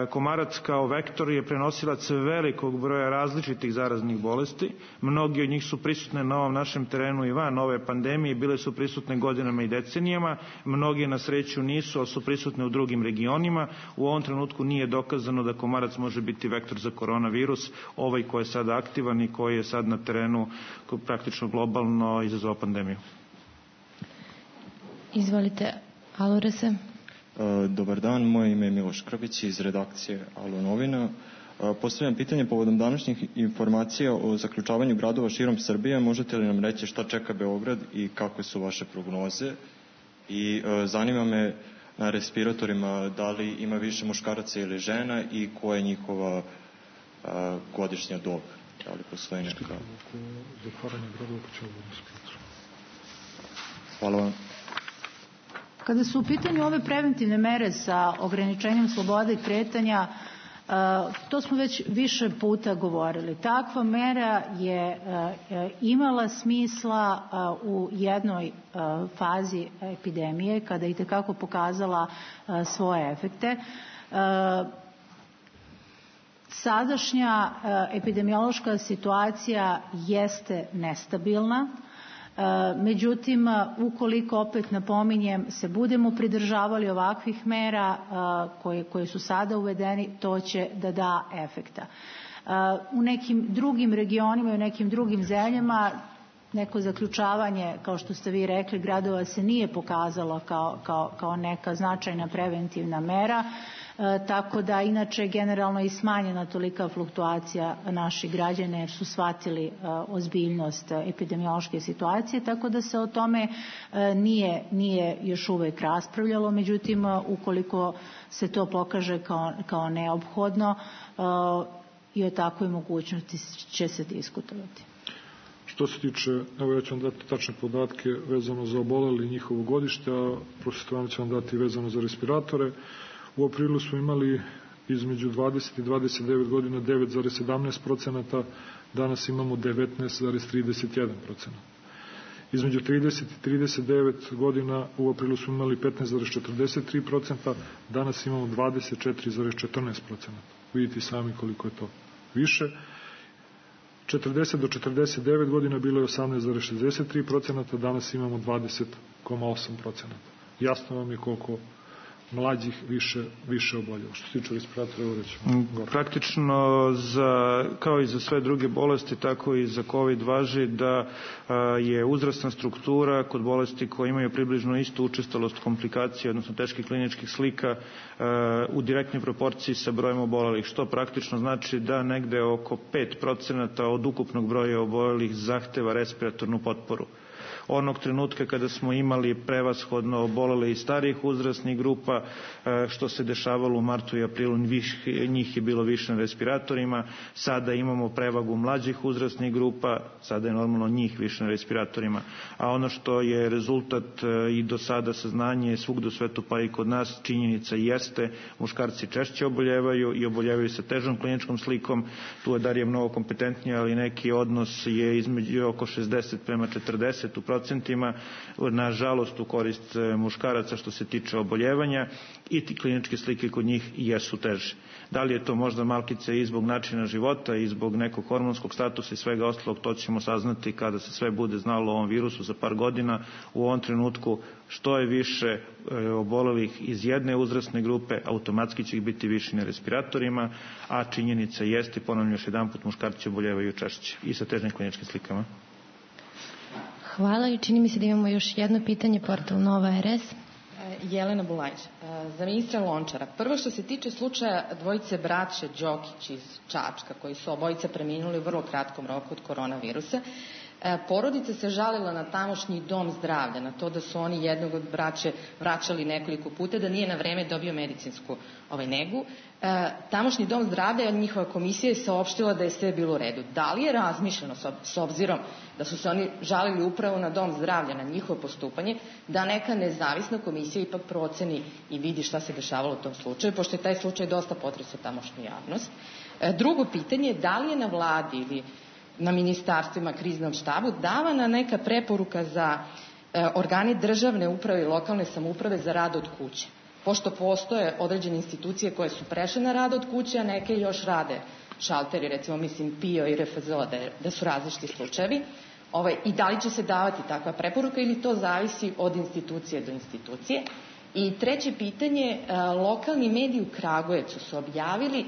Komarac kao vektor je prenosilac velikog broja različitih zaraznih bolesti. Mnogi od njih su prisutne na ovom našem terenu i van ove pandemije, bile su prisutne godinama i decenijama. Mnogi na sreću nisu, ali su prisutne u drugim regionima. U ovom trenutku nije dokazano da komarac može biti vektor za koronavirus, ovaj koji je sada aktivan i koji je sad na terenu praktično globalno izazvao pandemiju. Izvolite, Alorese. Dobar dan, moje ime je Miloš Krbić iz redakcije Alo novina. Postavljam pitanje povodom današnjih informacija o zaključavanju gradova širom Srbije. Možete li nam reći šta čeka Beograd i kakve su vaše prognoze? I zanima me na respiratorima da li ima više muškaraca ili žena i koja je njihova godišnja dob? Da li postoji neka? Hvala vam. Kada su u pitanju ove preventivne mere sa ograničenjem slobode i kretanja, to smo već više puta govorili. Takva mera je imala smisla u jednoj fazi epidemije, kada je itekako pokazala svoje efekte. Sadašnja epidemiološka situacija jeste nestabilna. Međutim, ukoliko, opet napominjem, se budemo pridržavali ovakvih mera koje su sada uvedeni, to će da da efekta. U nekim drugim regionima i u nekim drugim zemljama neko zaključavanje, kao što ste vi rekli, gradova se nije pokazalo kao neka značajna preventivna mera. tako da inače generalno i smanjena tolika fluktuacija naših građana jer su shvatili ozbiljnost epidemiološke situacije, tako da se o tome nije još uvek raspravljalo, međutim ukoliko se to pokaže kao neophodno i o takvoj mogućnosti će se diskutovati. Što se tiče, evo ja ću vam dati tačne podatke vezano za oboleli njihovo godište, a profesor Stevanović će vam dati vezano za respiratore. U aprilu smo imali između 20 i 29 godina 9,17%, danas imamo 19,31%. Između 30 i 39 godina u aprilu smo imali 15,43%, danas imamo 24,14%. Vidite sami koliko je to više. 40 do 49 godina bilo je 18,63%, danas imamo 20,8%. Jasno vam je koliko mlađih više oboljelo. Što se tiče respiratora, evo rećemo. Praktično, kao i za sve druge bolesti, tako i za COVID važi da je uzrasna struktura kod bolesti koje imaju približno istu učestalost komplikacija, odnosno teških kliničkih slika, u direktnoj proporciji sa brojem obolelih, što praktično znači da negde oko 5% od ukupnog broja obolelih zahteva respiratornu potporu. Onog trenutka kada smo imali prevashodno obolele i starijih uzrasnih grupa, što se dešavalo u martu i aprilu, njih je bilo više na respiratorima, sada imamo prevagu mlađih uzrasnih grupa, sada je normalno njih više na respiratorima, a ono što je rezultat i do sada saznanje svugde u svetu pa i kod nas, činjenica jeste, muškarci češće oboljevaju i oboljevaju sa težom kliničkom slikom, tu je Darija mnogo kompetentnija, ali neki odnos je između oko 60:40 u procentima, nažalost u korist muškaraca što se tiče oboljevanja i ti kliničke slike kod njih jesu teže. Da li je to možda malkice i zbog načina života i zbog nekog hormonskog statusa i svega ostalog, to ćemo saznati kada se sve bude znalo o ovom virusu za par godina. U ovom trenutku što je više obolelih iz jedne uzrasne grupe, automatski će ih biti više na respiratorima, a činjenica jeste, ponavljam još jedanput, muškarci oboljevaju češće i sa težnim kliničkim slikama. Hvala i čini mi se da imamo još jedno pitanje, portal Nova RS. Jelena Bulajić, za ministra Lončara. Prvo što se tiče slučaja dvojice braće Đokić iz Čačka, koji su obojica preminuli u vrlo kratkom roku od koronavirusa, porodica se žalila na tamošnji dom zdravlja, na to da su oni jednog od braće vraćali nekoliko puta, da nije na vreme dobio medicinsku negu. Tamošnji dom zdravlja, njihova komisija je saopštila da je sve bilo u redu. Da li je razmišljeno, s obzirom da su se oni žalili upravo na dom zdravlja, na njihovo postupanje, da neka nezavisna komisija ipak proceni i vidi šta se dešavalo u tom slučaju, pošto je taj slučaj dosta potresao tamošnju javnost. Drugo pitanje je da li je na vladi ili na ministarstvima, kriznom štabu davana neka preporuka za organe državne uprave i lokalne samouprave za rad od kuće. Pošto postoje određene institucije koje su prešle na rad od kuće, a neke još rade šalteri, recimo mislim PIO i RFZO, da su različiti slučajevi. I da li će se davati takva preporuka ili to zavisi od institucije do institucije. I treće pitanje, lokalni mediji u Kragujevcu su objavili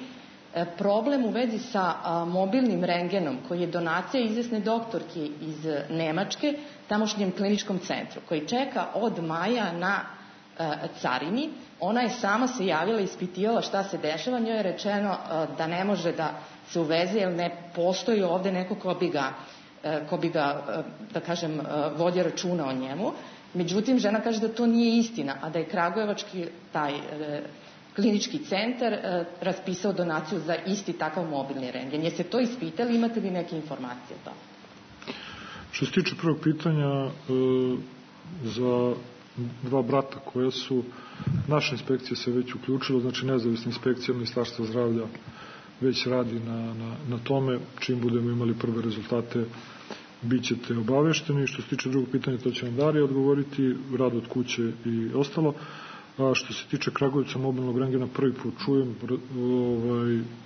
problem u vezi sa mobilnim rengenom koji je donacija izvesne doktorke iz Nemačke tamošnjem kliničkom centru koji čeka od maja na carini. Ona je sama se javila i ispitivala šta se dešava, njoj je rečeno da ne može da se uveze jer ne postoji ovde neko ko bi ga da kažem vodio računa o njemu. Međutim, žena kaže da to nije istina, a da je kragujevački taj klinički centar raspisao donaciju za isti takav mobilni rengen. Jeste to ispitali, imate li neke informacije o tome? Što se tiče prvog pitanja, za dva brata koja su, naša inspekcija se već uključila, znači nezavisna inspekcija Ministarstva zdravlja već radi na tome, čim budemo imali prve rezultate bit ćete obavešteni. Što se tiče drugog pitanja, to će vam Darija odgovoriti, rad od kuće i ostalo. A što se tiče Kragujevca mobilnog rengena, prvi put čujem,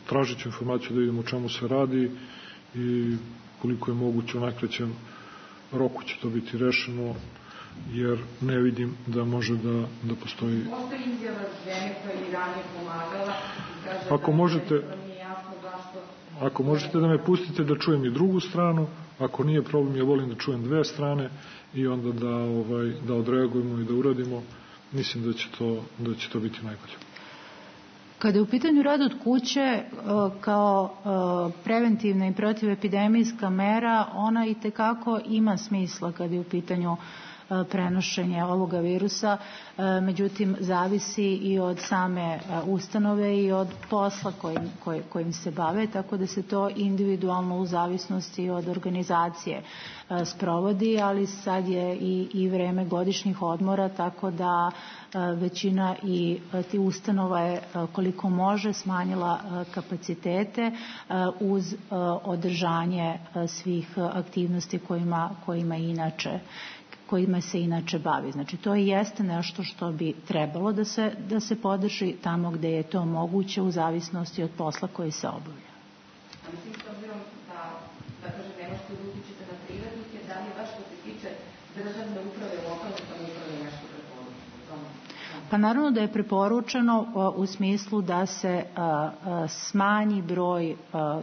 tražit ću informaciju da vidimo o čemu se radi i koliko je moguće u najkraćem roku će to biti rešeno, jer ne vidim da može da postoji. Postoji izjava žene koja je ranije pomagala. Ako možete da me pustite da čujem i drugu stranu, ako nije problem, ja volim da čujem dve strane i onda da odreagujemo i da uradimo. Mislim da će to biti najbolje. Kada je u pitanju rad od kuće kao preventivna i protivepidemijska mera, ona i tekako ima smisla kada je u pitanju prenošenje ovoga virusa, međutim zavisi i od same ustanove i od posla kojim se bave, tako da se to individualno u zavisnosti od organizacije sprovodi, ali sad je i vreme godišnjih odmora, tako da većina i ti ustanova je koliko može smanjila kapacitete uz održanje svih aktivnosti kojima se inače bavi. Znači to i jeste nešto što bi trebalo da se podrži tamo gde je to moguće u zavisnosti od posla koji se obavlja. Mislim, s obzirom da kažem, ne možete da utičete na privrednike, da li je baš što se tiče državne uprave, lokalne samouprave nešto preporučeno? Pa naravno da je preporučeno u smislu da se smanji broj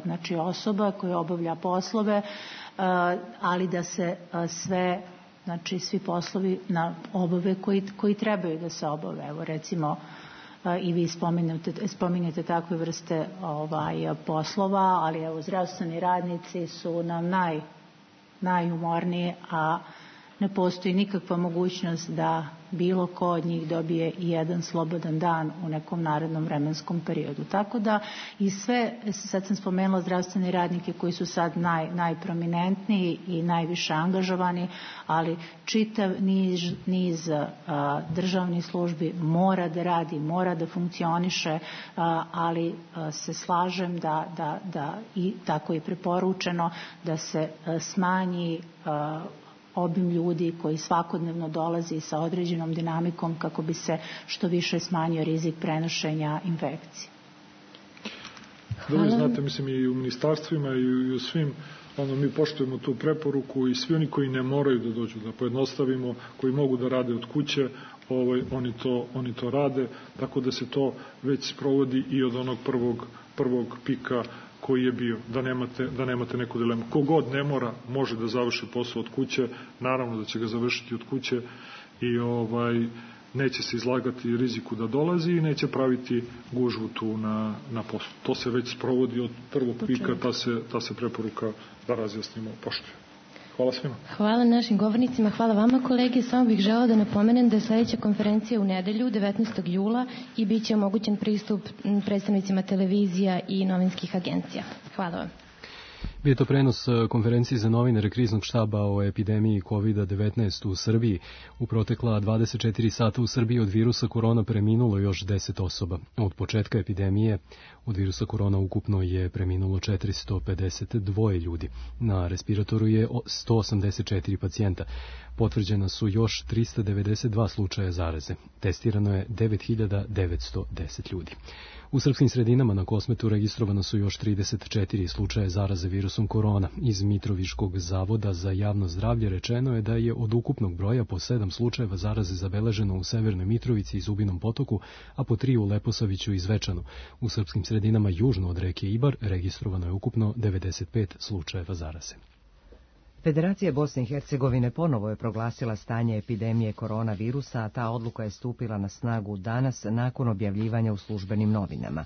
znači osoba koje obavlja poslove, ali da se svi poslovi obave koji trebaju da se obave. Evo recimo i vi spominjete takve vrste poslova, ali evo zdravstveni radnici su nam najumorniji, a ne postoji nikakva mogućnost da bilo ko od njih dobije i jedan slobodan dan u nekom narednom vremenskom periodu. Tako da i sve, sad sam spomenula zdravstvene radnike koji su sad najprominentniji i najviše angažovani, ali čitav niz državnih službi mora da radi, mora da funkcioniše, ali se slažem da i tako je preporučeno da se smanji obim ljudi koji svakodnevno dolazi sa određenom dinamikom kako bi se što više smanjio rizik prenošenja infekcije. Da vi znate, mislim i u ministarstvima i u svim, mi poštujemo tu preporuku i svi oni koji ne moraju da dođu, da pojednostavimo, koji mogu da rade od kuće, oni to rade, tako da se to već sprovodi i od onog prvog pika koji je bio, da nemate neku dilemu. Kogod ne mora, može da završi posao od kuće, naravno da će ga završiti od kuće i neće se izlagati riziku da dolazi i neće praviti gužvu tu na poslu. To se već sprovodi od prvog pika, ta se preporuka, da razjasnimo, poštuje. Hvala svima. Hvala našim govornicima, hvala vama kolege. Samo bih želeo da napomenem da je sledeća konferencija u nedelju, 19. jula i bit će omogućen pristup predstavnicima televizija i novinskih agencija. Hvala vam. Bio je to prenos konferencije za novinare Kriznog štaba o epidemiji COVID-19 u Srbiji. U protekla 24 sata u Srbiji od virusa korona preminulo još 10 osoba. Od početka epidemije od virusa korona ukupno je preminulo 452 ljudi. Na respiratoru je 184 pacijenta. Potvrđena su još 392 slučaja zaraze. Testirano je 9910 ljudi. U srpskim sredinama na Kosmetu registrovano su još 34 slučaja zaraze virusom korona. Iz Mitroviškog zavoda za javno zdravlje rečeno je da je od ukupnog broja po 7 slučajeva zaraze zabeleženo u Severnoj Mitrovici i Zubinom Potoku, a po 3 u Leposaviću i Zvečanu. U srpskim sredinama južno od reke Ibar registrovano je ukupno 95 slučajeva zaraze. Federacija Bosne i Hercegovine ponovo je proglasila stanje epidemije koronavirusa, a ta odluka je stupila na snagu danas nakon objavljivanja u službenim novinama.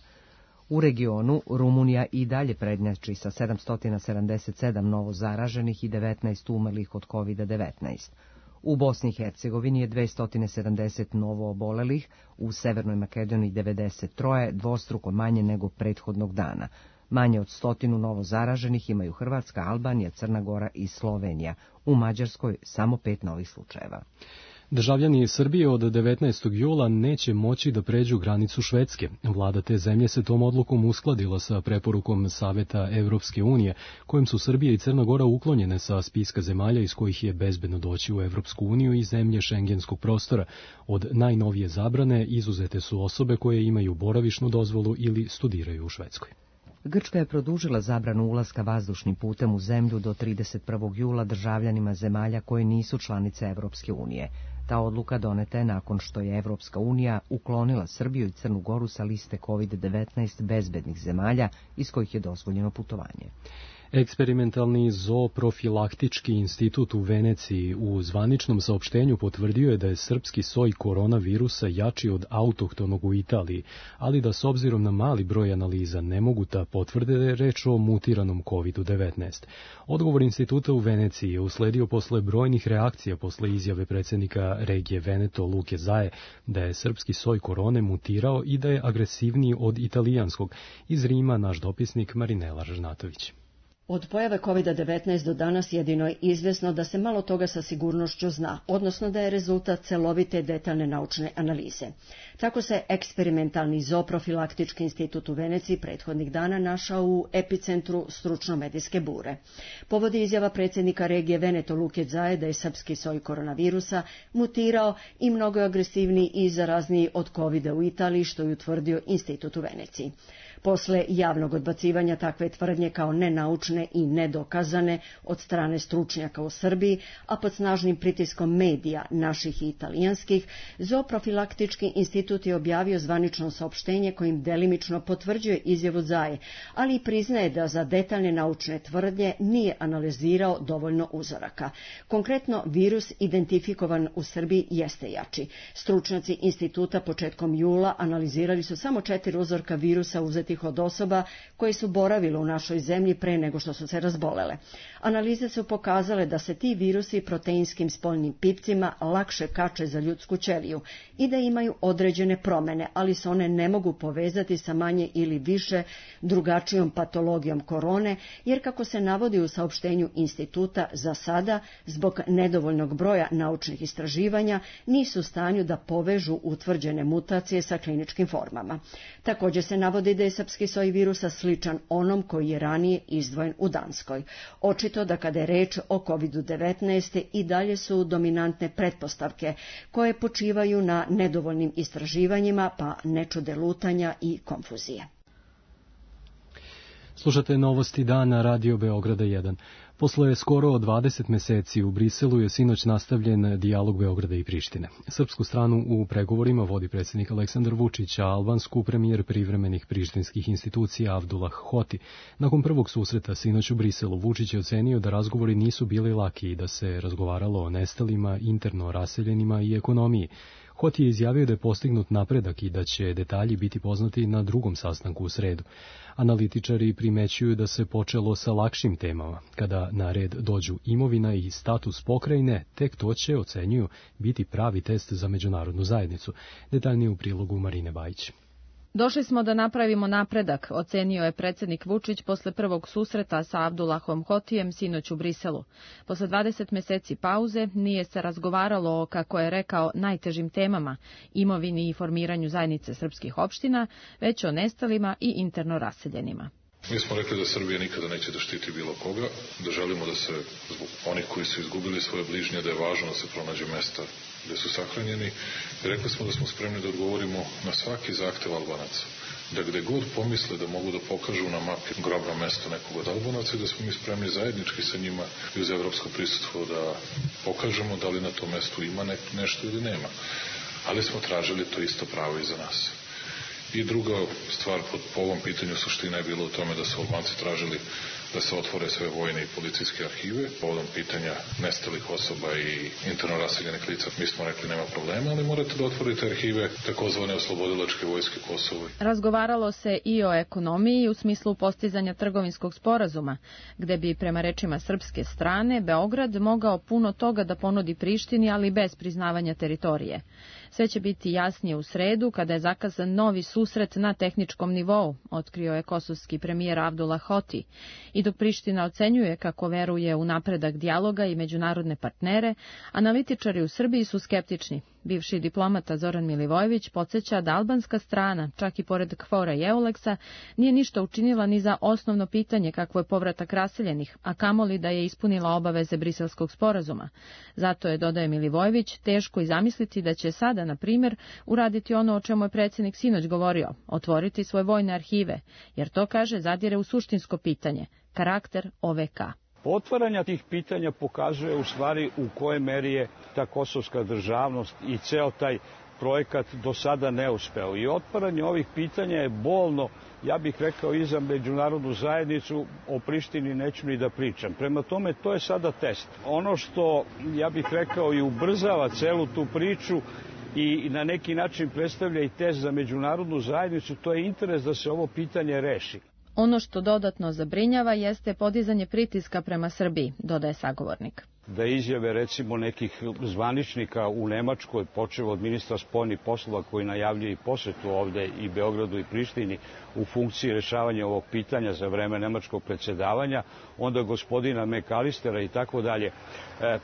U regionu Rumunija i dalje prednjači sa 777 novo zaraženih i 19 umrlih od COVID-19. U Bosni i Hercegovini je 270 novo obolelih, u Severnoj Makedoniji 93, dvostruko manje nego prethodnog dana. Manje od 100 novo zaraženih imaju Hrvatska, Albanija, Crna Gora i Slovenija. U Mađarskoj samo 5 novih slučajeva. Državljani Srbije od 19. jula neće moći da pređu granicu Švedske. Vlada te zemlje se tom odlukom uskladila sa preporukom Saveta Evropske unije, kojim su Srbija i Crna Gora uklonjene sa spiska zemalja iz kojih je bezbedno doći u Evropsku uniju i zemlje šengenskog prostora. Od najnovije zabrane izuzete su osobe koje imaju boravišnu dozvolu ili studiraju u Švedskoj. Grčka je produžila zabranu ulaska vazdušnim putem u zemlju do 31. jula državljanima zemalja koje nisu članice Evropske unije. Ta odluka doneta je nakon što je Evropska unija uklonila Srbiju i Crnu Goru sa liste COVID-19 bezbednih zemalja iz kojih je dozvoljeno putovanje. Eksperimentalni zooprofilaktički institut u Veneciji u zvaničnom saopštenju potvrdio je da je srpski soj koronavirusa jači od autohtonog u Italiji, ali da s obzirom na mali broj analiza ne mogu da potvrde da je reč o mutiranom COVID-19. Odgovor instituta u Veneciji je usledio posle brojnih reakcija posle izjave predsjednika regije Veneto Luke Zae da je srpski soj korone mutirao i da je agresivniji od italijanskog. Iz Rima naš dopisnik Marinela Žnatović. Od pojave COVID-19 do danas jedino je izvesno da se malo toga sa sigurnošću zna, odnosno da je rezultat celovite detaljne naučne analize. Tako se eksperimentalni zooprofilaktički institut u Veneciji prethodnih dana našao u epicentru stručno-medijske bure. Povodi izjava predsjednika regije Veneto Luke Zae da je srpski soj koronavirusa mutirao i mnogo agresivniji i zarazniji od COVID-a u Italiji, što je utvrdio institut u Veneciji. Posle javnog odbacivanja takve tvrdnje kao nenaučne i nedokazane od strane stručnjaka u Srbiji, a pod snažnim pritiskom medija, naših i italijanskih, Zooprofilaktički institut je objavio zvanično saopštenje kojim delimično potvrđuje izjavu Zae, ali i priznaje da za detaljne naučne tvrdnje nije analizirao dovoljno uzoraka. Konkretno, virus identifikovan u Srbiji jeste jači. Stručnjaci instituta početkom jula analizirali su samo 4 uzorka virusa uzetih od osoba koje su boravile u našoj zemlji pre nego što su se razbolele. Analize su pokazale da se ti virusi proteinskim spoljnim pipcima lakše kače za ljudsku ćeliju i da imaju određene promene, ali se one ne mogu povezati sa manje ili više drugačijom patologijom korone, jer kako se navodi u saopštenju instituta, za sada, zbog nedovoljnog broja naučnih istraživanja, nisu u stanju da povežu utvrđene mutacije sa kliničkim formama. Također se navodi da je srpski soj virusa sličan onom koji je ranije izdvojen u Danskoj. Očito da kada je reč o COVID-19 i dalje su dominantne pretpostavke koje počivaju na nedovoljnim istraživanjima, pa ne čude lutanja i konfuzije. Slušate Novosti dana Radio Beograda 1. Posle skoro 20 meseci u Briselu je sinoć nastavljen dijalog Beograda i Prištine. Srpsku stranu u pregovorima vodi predsjednik Aleksandar Vučić, a albansku premijer privremenih prištinskih institucija Avdullah Hoti. Nakon prvog susreta sinoć u Briselu, Vučić je ocenio da razgovori nisu bili laki i da se razgovaralo o nestalima, interno raseljenima i ekonomiji. Hoti je izjavio da je postignut napredak i da će detalji biti poznati na drugom sastanku u sredu. Analitičari primećuju da se počelo sa lakšim temama. Kada na red dođu imovina i status pokrajine, tek to će, ocenjuju, biti pravi test za međunarodnu zajednicu. Detaljnije u prilogu Marine Bajić. Došli smo da napravimo napredak, ocenio je predsjednik Vučić posle prvog susreta sa Avdullahom Hotijem sinoć u Briselu. Posle 20 meseci pauze nije se razgovaralo o, kako je rekao, najtežim temama, imovini i formiranju zajednice srpskih opština, već o nestalima i interno raseljenima. Mi smo rekli da Srbija nikada neće da štiti bilo koga, da želimo da se, zbog onih koji su izgubili svoje bližnje, da je važno da se pronađe mesta gde su sahranjeni. I rekli smo da smo spremni da odgovorimo na svaki zahtev Albanaca. Da gde god pomisle da mogu da pokažu na mapi grobno mesto nekog od Albanaca i da smo mi spremni zajednički sa njima i uz evropsko prisustvo da pokažemo da li na tom mestu ima nešto ili nema. Ali smo tražili to isto pravo i za nas. I druga stvar po ovom pitanju suština je bilo u tome da su Albanci tražili da se otvore sve vojne i policijske arhive. Povodom pitanja nestalih osoba i interno raseljenih lica mi smo rekli nema problema, ali morate da otvorite arhive takozvane oslobodilačke vojske Kosova. Razgovaralo se i o ekonomiji u smislu postizanja trgovinskog sporazuma, gde bi prema rečima srpske strane Beograd mogao puno toga da ponudi Prištini, ali bez priznavanja teritorije. Sve će biti jasnije u sredu, kada je zakazan novi susret na tehničkom nivou, otkrio je kosovski premijer Avdullah Hoti. I dok Priština ocenjuje kako veruje u napredak dijaloga i međunarodne partnere, analitičari u Srbiji su skeptični. Bivši diplomata Zoran Milivojević podsjeća da albanska strana, čak i pored KFOR-a i EULEX-a, nije ništa učinila ni za osnovno pitanje kakvo je povratak raseljenih, a kamoli da je ispunila obaveze Briselskog sporazuma. Zato je, dodaje Milivojević, teško i zamisliti da će sada, na primjer, uraditi ono o čemu je predsjednik sinoć govorio, otvoriti svoje vojne arhive, jer to, kaže, zadire u suštinsko pitanje, karakter OVK. Otvaranja tih pitanja pokazuje u stvari u kojoj meri je ta kosovska državnost i ceo taj projekat do sada neuspeo. I otvaranje ovih pitanja je bolno, ja bih rekao, i za međunarodnu zajednicu. O Prištini neću ni da pričam. Prema tome, to je sada test. Ono što, ja bih rekao, i ubrzava celu tu priču i na neki način predstavlja i test za međunarodnu zajednicu, to je interes da se ovo pitanje reši. Ono što dodatno zabrinjava jeste podizanje pritiska prema Srbiji, dodaje sagovornik. Da izjave recimo nekih zvaničnika u Nemačkoj, počev od ministra spoljnih poslova koji najavljuje i posetu ovde i Beogradu i Prištini u funkciji rešavanja ovog pitanja za vreme nemačkog predsjedavanja, onda gospodina Mekalistera i tako dalje.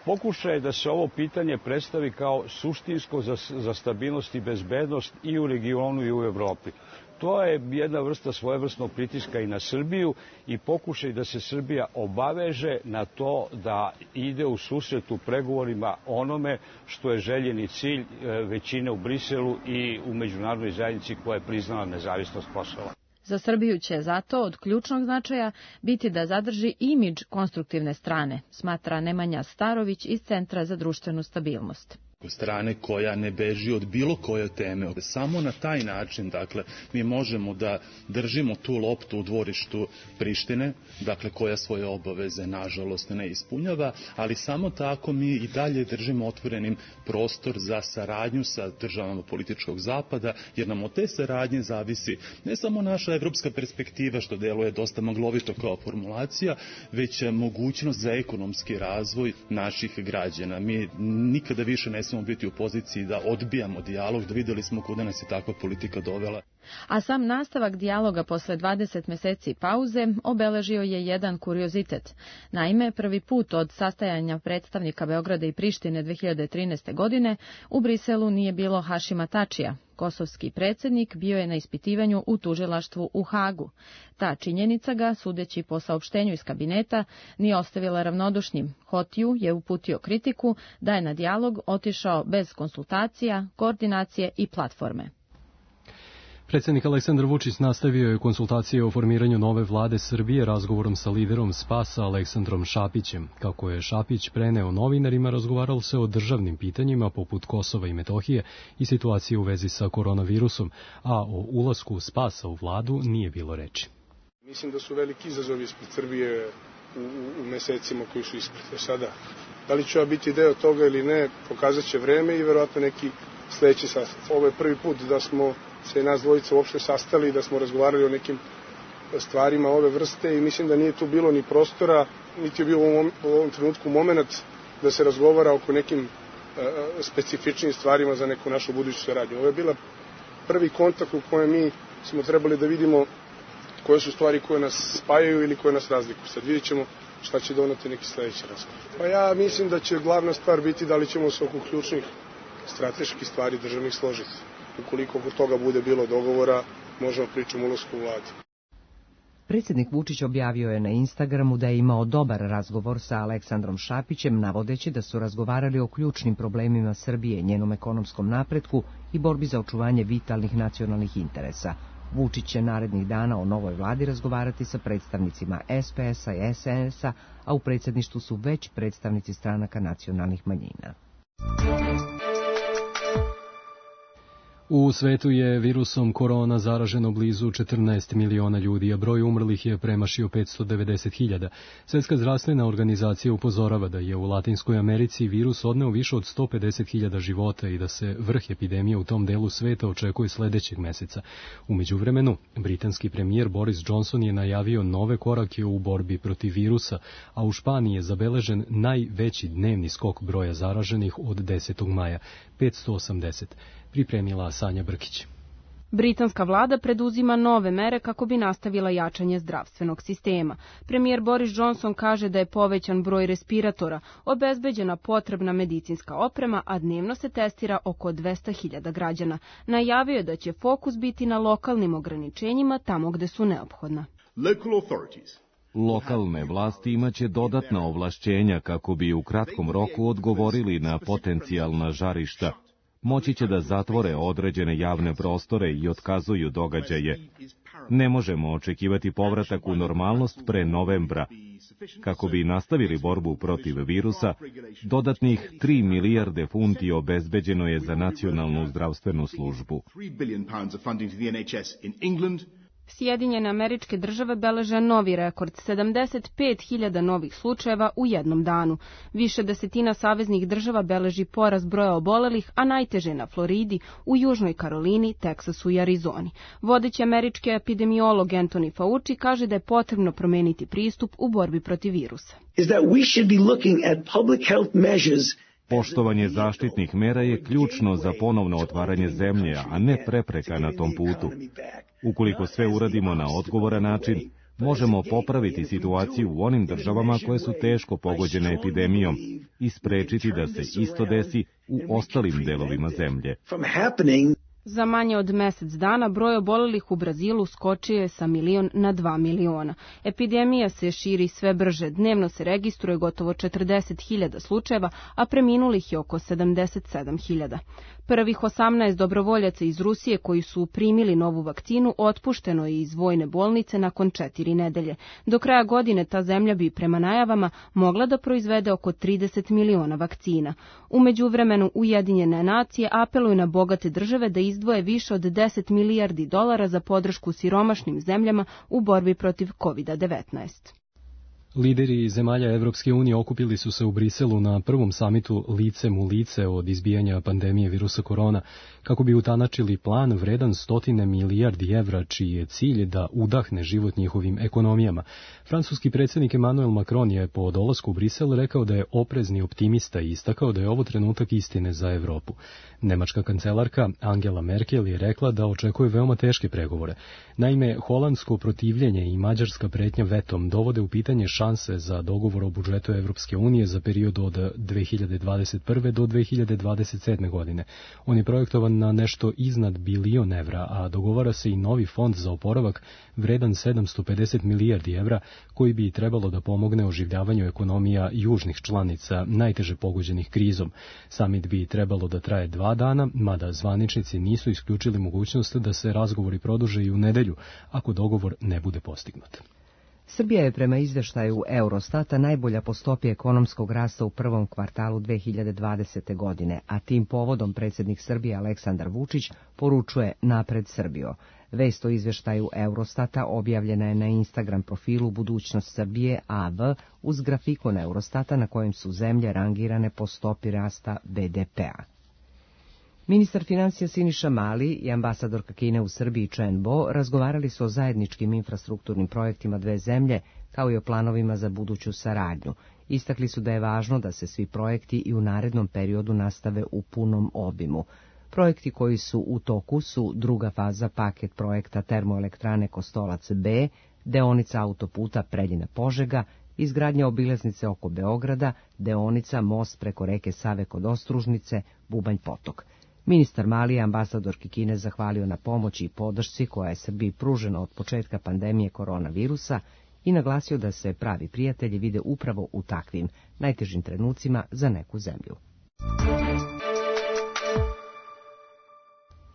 Pokušaj je da se ovo pitanje predstavi kao suštinsko za stabilnost i bezbednost i u regionu i u Evropi. To je jedna vrsta svojevrsnog pritiska i na Srbiju i pokušaj da se Srbija obaveže na to da ide u susret u pregovorima onome što je željeni cilj većine u Briselu i u međunarodnoj zajednici koja je priznala nezavisnost Kosova. Za Srbiju će zato od ključnog značaja biti da zadrži imidž konstruktivne strane, smatra Nemanja Starović iz Centra za društvenu stabilnost. Strane koja ne beži od bilo koje teme. Samo na taj način, dakle, mi možemo da držimo tu loptu u dvorištu Prištine, dakle, koja svoje obaveze, nažalost, ne ispunjava, ali samo tako mi i dalje držimo otvorenim prostor za saradnju sa državama političkog zapada, jer nam od te saradnje zavisi ne samo naša evropska perspektiva, što deluje dosta maglovito kao formulacija, već mogućnost za ekonomski razvoj naših građana. Mi nikada više ne smemo biti u poziciji da odbijamo dijalog, da videli smo kuda nas je takva politika dovela. A sam nastavak dijaloga posle 20 meseci pauze obeležio je jedan kuriozitet. Naime, prvi put od sastajanja predstavnika Beograda i Prištine 2013. godine u Briselu nije bilo Hašima Tačija. Kosovski predsjednik bio je na ispitivanju u tužilaštvu u Hagu. Ta činjenica ga, sudeći po saopštenju iz kabineta, nije ostavila ravnodušnim. Hotiju je uputio kritiku da je na dijalog otišao bez konsultacija, koordinacije i platforme. Predsjednik Aleksandar Vučić nastavio je konsultacije o formiranju nove vlade Srbije razgovorom sa liderom SPAS-a Aleksandrom Šapićem. Kako je Šapić preneo novinarima, razgovaralo se o državnim pitanjima poput Kosova i Metohije i situacije u vezi sa koronavirusom, a o ulasku SPAS-a u vladu nije bilo reči. Mislim da su veliki izazovi ispred Srbije u mesecima koji su ispred. Sada, da li će biti deo toga ili ne, pokazat će vreme i verovatno neki sledeći sastanak. Ovo je prvi put da smo se nas dvojica uopšte sastali, da smo razgovarali o nekim stvarima ove vrste i mislim da nije tu bilo ni prostora, niti je bilo u ovom trenutku moment da se razgovara oko nekim specifičnim stvarima za neku našu buduću saradnju. Ovo je bila prvi kontakt u kojem mi smo trebali da vidimo koje su stvari koje nas spajaju ili koje nas razlikuju. Sad vidjet ćemo šta će doneti neki sledeći razgovor. Pa ja mislim da će glavna stvar biti da li ćemo se oko ključnih strateških stvari državnih složiti. Ukoliko oko toga bude bilo dogovora, možemo pričati o ulasku u vladu. Predsjednik Vučić objavio je na Instagramu da je imao dobar razgovor sa Aleksandrom Šapićem, navodeći da su razgovarali o ključnim problemima Srbije, njenom ekonomskom napretku i borbi za očuvanje vitalnih nacionalnih interesa. Vučić će narednih dana o novoj vladi razgovarati sa predstavnicima SPS-a i SNS-a, a u predsjedništvu su već predstavnici stranaka nacionalnih manjina. U svetu je virusom korona zaraženo blizu 14 miliona ljudi, a broj umrlih je premašio 590.000. Svjetska zdravstvena organizacija upozorava da je u Latinskoj Americi virus odneo više od 150.000 života i da se vrh epidemije u tom delu sveta očekuje sledećeg meseca. U međuvremenu, britanski premijer Boris Johnson je najavio nove korake u borbi protiv virusa, a u Španiji je zabeležen najveći dnevni skok broja zaraženih od 10. maja, 580. Pripremila Sanja Brkić. Britanska vlada preduzima nove mere kako bi nastavila jačanje zdravstvenog sistema. Premijer Boris Johnson kaže da je povećan broj respiratora, obezbeđena potrebna medicinska oprema, a dnevno se testira oko 200.000 građana. Najavio je da će fokus biti na lokalnim ograničenjima tamo gde su neophodna. Lokalne vlasti imaće dodatna ovlašćenja kako bi u kratkom roku odgovorili na potencijalna žarišta. Moći će da zatvore određene javne prostore i otkazuju događaje. Ne možemo očekivati povratak u normalnost pre novembra. Kako bi nastavili borbu protiv virusa, dodatnih 3 milijarde funti obezbeđeno je za nacionalnu zdravstvenu službu. Sjedinjene Američke Države beleže novi rekord, 75.000 novih slučajeva u jednom danu. Više desetina saveznih država beleži porast broja obolelih, a najteže na Floridi, u Južnoj Karolini, Teksasu i Arizoni. Vodeći američki epidemiolog Anthony Fauci kaže da je potrebno promeniti pristup u borbi protiv virusa. Poštovanje zaštitnih mera je ključno za ponovno otvaranje zemlje, a ne prepreka na tom putu. Ukoliko sve uradimo na odgovoran način, možemo popraviti situaciju u onim državama koje su teško pogođene epidemijom i sprečiti da se isto desi u ostalim delovima zemlje. Za manje od mesec dana broj obolelih u Brazilu skočio je sa 1 na 2 miliona. Epidemija se širi sve brže. Dnevno se registruje gotovo 40.000 slučajeva, a preminulih je oko 77.000. Prvih 18 dobrovoljaca iz Rusije koji su primili novu vakcinu otpušteno je iz vojne bolnice nakon 4 nedelje. Do kraja godine ta zemlja bi prema najavama mogla da proizvede oko 30 miliona vakcina. U međuvremenu Ujedinjene nacije apeluju na bogate države da izdvoje više od 10 milijardi dolara za podršku siromašnim zemljama u borbi protiv COVID-19. Lideri zemalja Evropske unije okupili su se u Briselu na prvom samitu licem u lice od izbijanja pandemije virusa korona, kako bi utanačili plan vredan 100 milijardi evra, čiji je cilj da udahne život njihovim ekonomijama. Francuski predsjednik Emmanuel Macron je po dolasku u Brisel rekao da je oprezni optimista i istakao da je ovo trenutak istine za Evropu. Nemačka kancelarka Angela Merkel je rekla da očekuje veoma teške pregovore. Naime, holandsko protivljenje i mađarska pretnja vetom dovode u pitanje šanse za dogovor o budžetu Evropske unije za period od 2021. do 2027. godine. On je projektovan na nešto iznad bilion evra, a dogovara se i novi fond za oporavak vredan 750 milijardi evra, koji bi trebalo da pomogne oživljavanju ekonomija južnih članica najteže pogođenih krizom. Samit bi trebalo da traje 2 dana, mada zvaničnici nisu isključili mogućnost da se razgovori produže i u nedelju, ako dogovor ne bude postignut. Srbija je prema izveštaju Eurostata najbolja po stopi ekonomskog rasta u prvom kvartalu 2020. godine, a tim povodom predsjednik Srbije Aleksandar Vučić poručuje napred Srbijo. Vest o izveštaju Eurostata objavljena je na Instagram profilu Budućnost Srbije AV uz grafikon Eurostata na kojem su zemlje rangirane po stopi rasta BDP-a. Ministar financija Siniša Mali i ambasadorka Kine u Srbiji Chen Bo razgovarali su o zajedničkim infrastrukturnim projektima dve zemlje, kao i o planovima za buduću saradnju. Istakli su da je važno da se svi projekti i u narednom periodu nastave u punom obimu. Projekti koji su u toku su druga faza paket projekta termoelektrane Kostolac B, deonica autoputa Preljina-Požega, izgradnja obilaznice oko Beograda, deonica most preko reke Save kod Ostružnice, Bubanj potok. Ministar Mali je ambasadorki Kine zahvalio na pomoći i podršci koja je Srbiji pružena od početka pandemije koronavirusa i naglasio da se pravi prijatelji vide upravo u takvim najtežim trenucima za neku zemlju.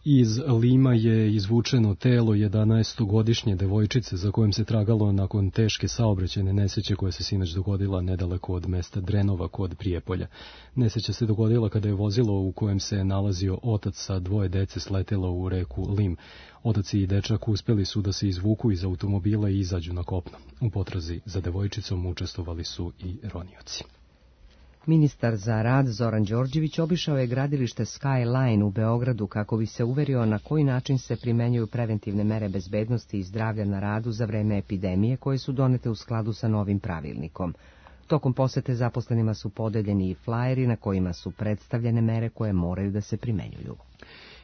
Iz Lima je izvučeno telo 11-godišnje devojčice za kojim se tragalo nakon teške saobraćajne nesreće koja se sinoć dogodila nedaleko od mesta Drenova kod Prijepolja. Nesreća se dogodila kada je vozilo u kojem se nalazio otac sa 2 dece sletelo u reku Lim. Otac i dečak uspeli su da se izvuku iz automobila i izađu na kopno. U potrazi za devojčicom učestvovali su i ronioci. Ministar za rad Zoran Đorđević obišao je gradilište Skyline u Beogradu kako bi se uverio na koji način se primenjuju preventivne mere bezbednosti i zdravlja na radu za vreme epidemije koje su donete u skladu sa novim pravilnikom. Tokom posete zaposlenima su podeljeni i flajeri na kojima su predstavljene mere koje moraju da se primenjuju.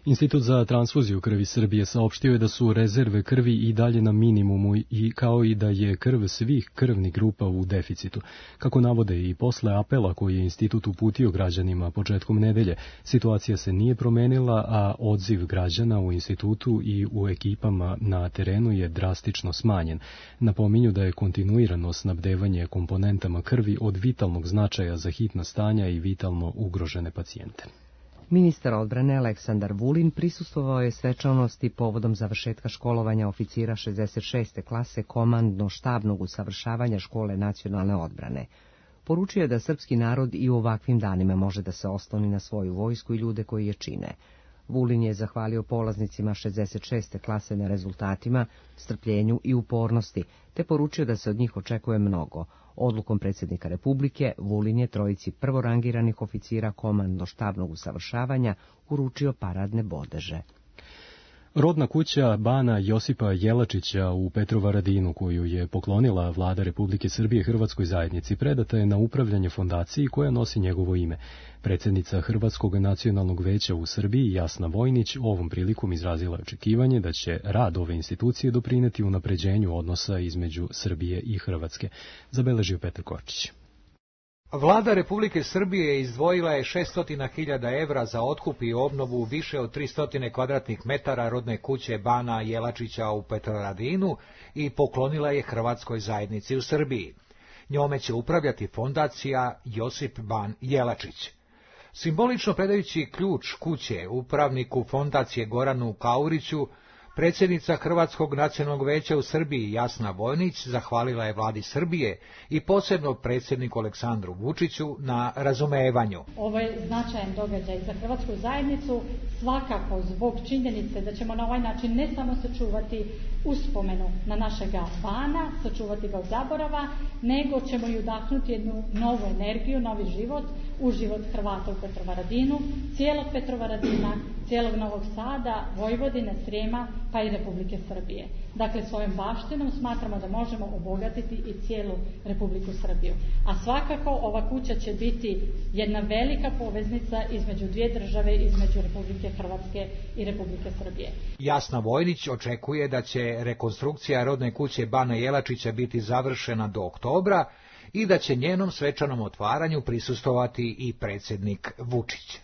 Institut za transfuziju krvi Srbije saopštio je da su rezerve krvi i dalje na minimumu i kao i da je krv svih krvnih grupa u deficitu. Kako navode i posle apela koji je institut uputio građanima početkom nedelje, situacija se nije promenila, a odziv građana u institutu i u ekipama na terenu je drastično smanjen. Napominju da je kontinuirano snabdevanje komponentama krvi od vitalnog značaja za hitna stanja i vitalno ugrožene pacijente. Ministar odbrane Aleksandar Vulin prisustvovao je svečanosti povodom završetka školovanja oficira 66. klase komandno-štabnog usavršavanja škole nacionalne odbrane. Poručio je da srpski narod i u ovakvim danima može da se osloni na svoju vojsku i ljude koji je čine. Vulin je zahvalio polaznicima 66. klase na rezultatima, strpljenju i upornosti, te poručio da se od njih očekuje mnogo. Odlukom predsjednika Republike, Vulin je trojici prvorangiranih oficira komandno-štabnog usavršavanja uručio paradne bodeže. Rodna kuća bana Josipa Jelačića u Petrovaradinu, koju je poklonila vlada Republike Srbije Hrvatskoj zajednici, predata je na upravljanje fondaciji koja nosi njegovo ime. Predsjednica Hrvatskog nacionalnog veća u Srbiji, Jasna Vojnić, ovom prilikom izrazila očekivanje da će rad ove institucije doprineti unapređenju odnosa između Srbije i Hrvatske, zabeležio Petar Kočić. Vlada Republike Srbije izdvojila je 600.000 evra za otkup i obnovu više od 300 kvadratnih metara rodne kuće bana Jelačića u Petrovaradinu i poklonila je Hrvatskoj zajednici u Srbiji. Njome će upravljati fondacija Josip Ban Jelačić. Simbolično predajući ključ kuće upravniku fondacije Goranu Kauriću, predsjednica Hrvatskog nacionalnog veća u Srbiji Jasna Vojnić zahvalila je vladi Srbije i posebno predsjedniku Aleksandru Vučiću na razumevanju. Ovo je značajan događaj za Hrvatsku zajednicu, svakako zbog činjenice da ćemo na ovaj način ne samo sačuvati uspomenu na našega bana, sačuvati ga od zaborava, nego ćemo i udahnuti jednu novu energiju, novi život u život Hrvata u Petrovaradinu, cijelog Petrovaradina, cijelog Novog Sada, Vojvodine, Srijema, pa i Republike Srbije. Dakle, svojom baštinom smatramo da možemo obogatiti i cijelu Republiku Srbiju. A svakako ova kuća će biti jedna velika poveznica između dvije države, između Republike Hrvatske i Republike Srbije. Jasna Vojnić očekuje da će rekonstrukcija rodne kuće bana Jelačića biti završena do oktobra i da će njenom svečanom otvaranju prisustvovati i predsjednik Vučić.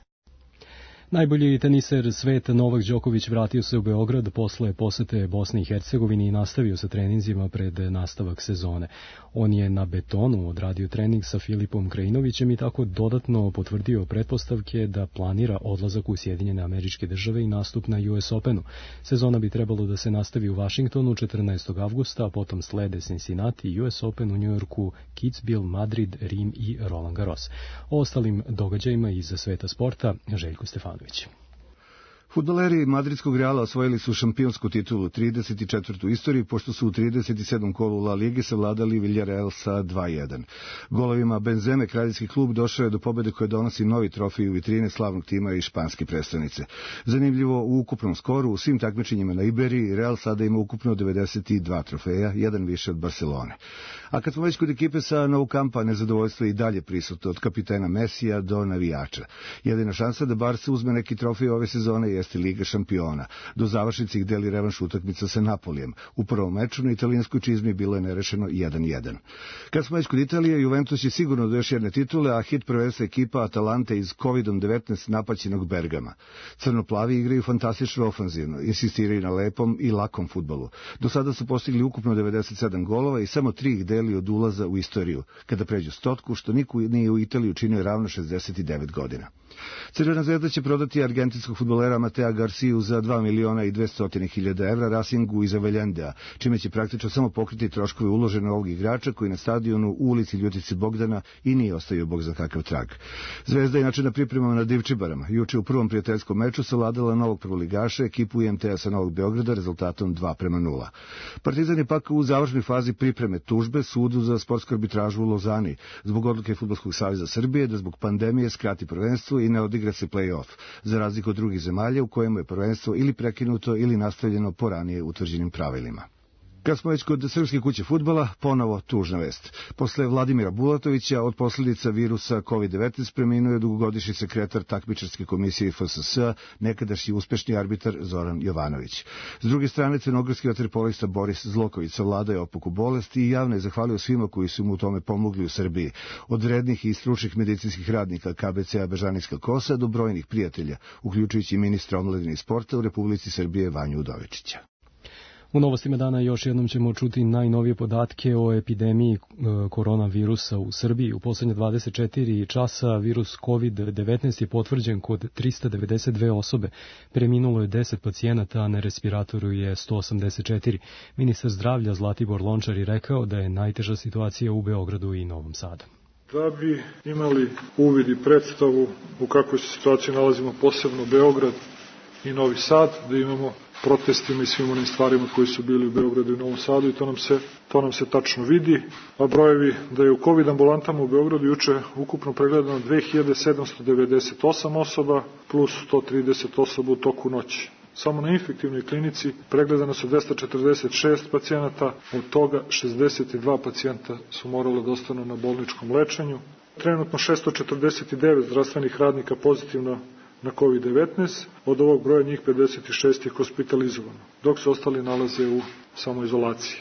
Najbolji teniser sveta Novak Đoković vratio se u Beograd posle posete Bosni i Hercegovini i nastavio sa treninzima pred nastavak sezone. On je na betonu odradio trening sa Filipom Krajinovićem i tako dodatno potvrdio pretpostavke da planira odlazak u Sjedinjene Američke Države i nastup na US Openu. Sezona bi trebalo da se nastavi u Vašingtonu 14. avgusta, a potom slede Cincinnati, US Open u Njujorku, Kitzbühel, Madrid, Rim i Roland Garros. O ostalim događajima iz sveta sporta Željko Stefanović. Fudbaleri madridskog Reala osvojili su šampionsku titulu 34. u istoriji, pošto su u 37. kolu La Lige savladali Villarreal sa 2:1. Golovima Benzeme kraljevski klub došao je do pobede koje donosi novi trofej u vitrine slavnog tima i španske prestonice. Zanimljivo, u ukupnom skoru u svim takmičenjima na Iberiji Real sada ima ukupno 92 trofeja, jedan više od Barcelone. A kad smo već kod ekipe sa Nou Campa, nezadovoljstvo je i dalje prisutno od kapitena Mesija do navijača. Jedina šansa da Barca uzme neki trofej ove sezone jeste Liga šampiona. Do završnice ih deli revanš utakmica sa Napolijem. U prvom meču na italijanskoj čizmi bilo je nerešeno 1:1. Kad smo već kod Italije, Juventus je sigurno do još jedne titule, a hit prvenstva ekipa Atalante iz COVID-19 napaćenog Bergama. Crnoplavi igraju fantastično ofanzivno, insistiraju na lepom i lakom fudbalu. Do sada su postigli ukupno 97 golova i samo 3 ih deli od ulaza u istoriju, kada pređu 100, što niko nije u Italiji učinio ravno 69 godina. Crvena zvezda će prodati argentinskog fudbalera Matea Garciju za 2.200.000 evra Racingu iz Avellandea, čime će praktično samo pokriti troškove uložene ovog igrača koji na stadionu u ulici Ljutice Bogdana i nije ostavio bog za kakav trag. Zvezda je inače na pripremama na Divčibarama. Juče u prvom prijateljskom meču savladala novog prvoligaša, ekipu IMT-a sa Novog Beograda rezultatom 2:0. Partizan je pak u završnoj fazi pripreme tužbe sudu za sportsku arbitražu u Lozani zbog odluke Fudbalskog saveza Srbije da zbog pandemije skrati prvenstvo i ne odigra se play-off, za razliku od drugih zemalja u kojemu je prvenstvo ili prekinuto ili nastavljeno po ranije utvrđenim pravilima. Kad smo već kod srpske kuće fudbala, ponovo tužna vest. Posle Vladimira Bulatovića od posljedica virusa COVID-19 preminuo je dugogodišnji sekretar takmičarske komisije FSS, nekadašnji uspešni arbitar Zoran Jovanović. S druge strane, crnogorski vaterpolista Boris Zloković savladao je opaku bolesti i javno je zahvalio svima koji su mu u tome pomogli u Srbiji, od vrednih i stručnih medicinskih radnika KBC-a Bežanijska Kosa do brojnih prijatelja, uključujući ministra omladine i sporta u Republici Srbije Vanju Udovičića. U novostima dana još jednom ćemo čuti najnovije podatke o epidemiji koronavirusa u Srbiji. U poslednje 24 časa virus COVID-19 je potvrđen kod 392 osobe. Preminulo je 10 pacijenata, a na respiratoru je 184. Ministar zdravlja Zlatibor Lončar je rekao da je najteža situacija u Beogradu i Novom Sadu. Da bi imali uvid i predstavu u kakvoj se situaciji nalazimo, posebno Beograd i Novi Sad, da imamo protestima i svim onim stvarima koji su bili u Beogradu i Novom Sadu, i to nam se tačno vidi. A brojevi da je u COVID ambulantama u Beogradu juče ukupno pregledano 2798 osoba plus 130 osoba u toku noći. Samo na infektivnoj klinici pregledano su 246 pacijenata, od toga 62 pacijenta su morali da ostanu na bolničkom lečenju. Trenutno 649 zdravstvenih radnika pozitivno na COVID-19, od ovog broja njih 56 je hospitalizovano, dok se ostali nalaze u samoizolaciji.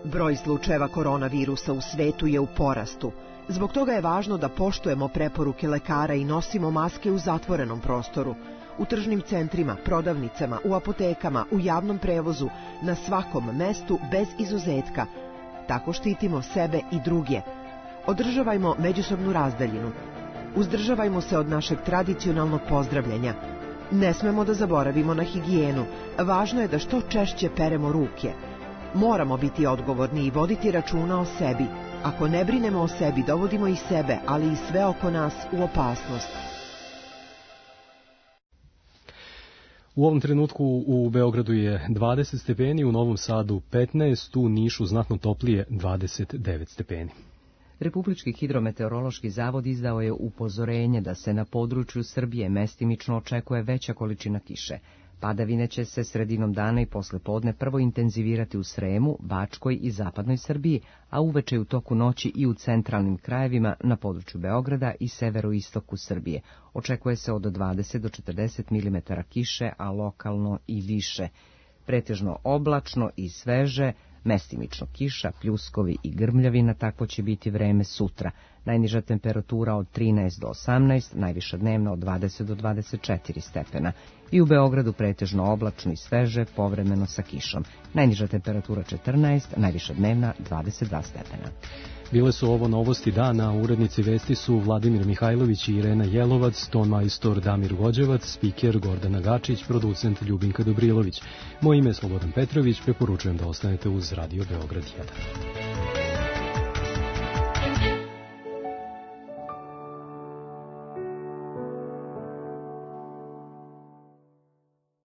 Broj slučajeva koronavirusa u svetu je u porastu. Zbog toga je važno da poštujemo preporuke lekara i nosimo maske u zatvorenom prostoru, u tržnim centrima, prodavnicama, u apotekama, u javnom prevozu, na svakom mestu bez izuzetka. Tako štitimo sebe i druge. Održavajmo međusobnu razdaljinu. Uzdržavajmo se od našeg tradicionalnog pozdravljanja. Ne smemo da zaboravimo na higijenu. Važno je da što češće peremo ruke. Moramo biti odgovorni i voditi računa o sebi. Ako ne brinemo o sebi, dovodimo i sebe, ali i sve oko nas u opasnost. U ovom trenutku u Beogradu je 20 stepeni, u Novom Sadu 15, u Nišu znatno toplije 29 stepeni. Republički hidrometeorološki zavod izdao je upozorenje da se na području Srbije mestimično očekuje veća količina kiše. Padavine će se sredinom dana i poslepodne prvo intenzivirati u Sremu, Bačkoj i zapadnoj Srbiji, a uveče u toku noći i u centralnim krajevima na području Beograda i severoistoku Srbije. Očekuje se od 20 do 40 mm kiše, a lokalno i više. Pretežno oblačno i sveže, mestimično kiša, pljuskovi i grmljavina, takvo će biti vreme sutra. Najniža temperatura od 13 do 18, najviša dnevna od 20 do 24 stepena. I u Beogradu pretežno oblačno i sveže, povremeno sa kišom. Najniža temperatura 14, najviša dnevna 22 stepena. Bile su ovo novosti dana, urednici vesti su Vladimir Mihajlović i Irena Jelovac, ton majstor Damir Vođevac, spiker Gordana Gačić, producent Ljubinka Dobrilović. Moje ime je Slobodan Petrović, preporučujem da ostanete uz Radio Beograd 1.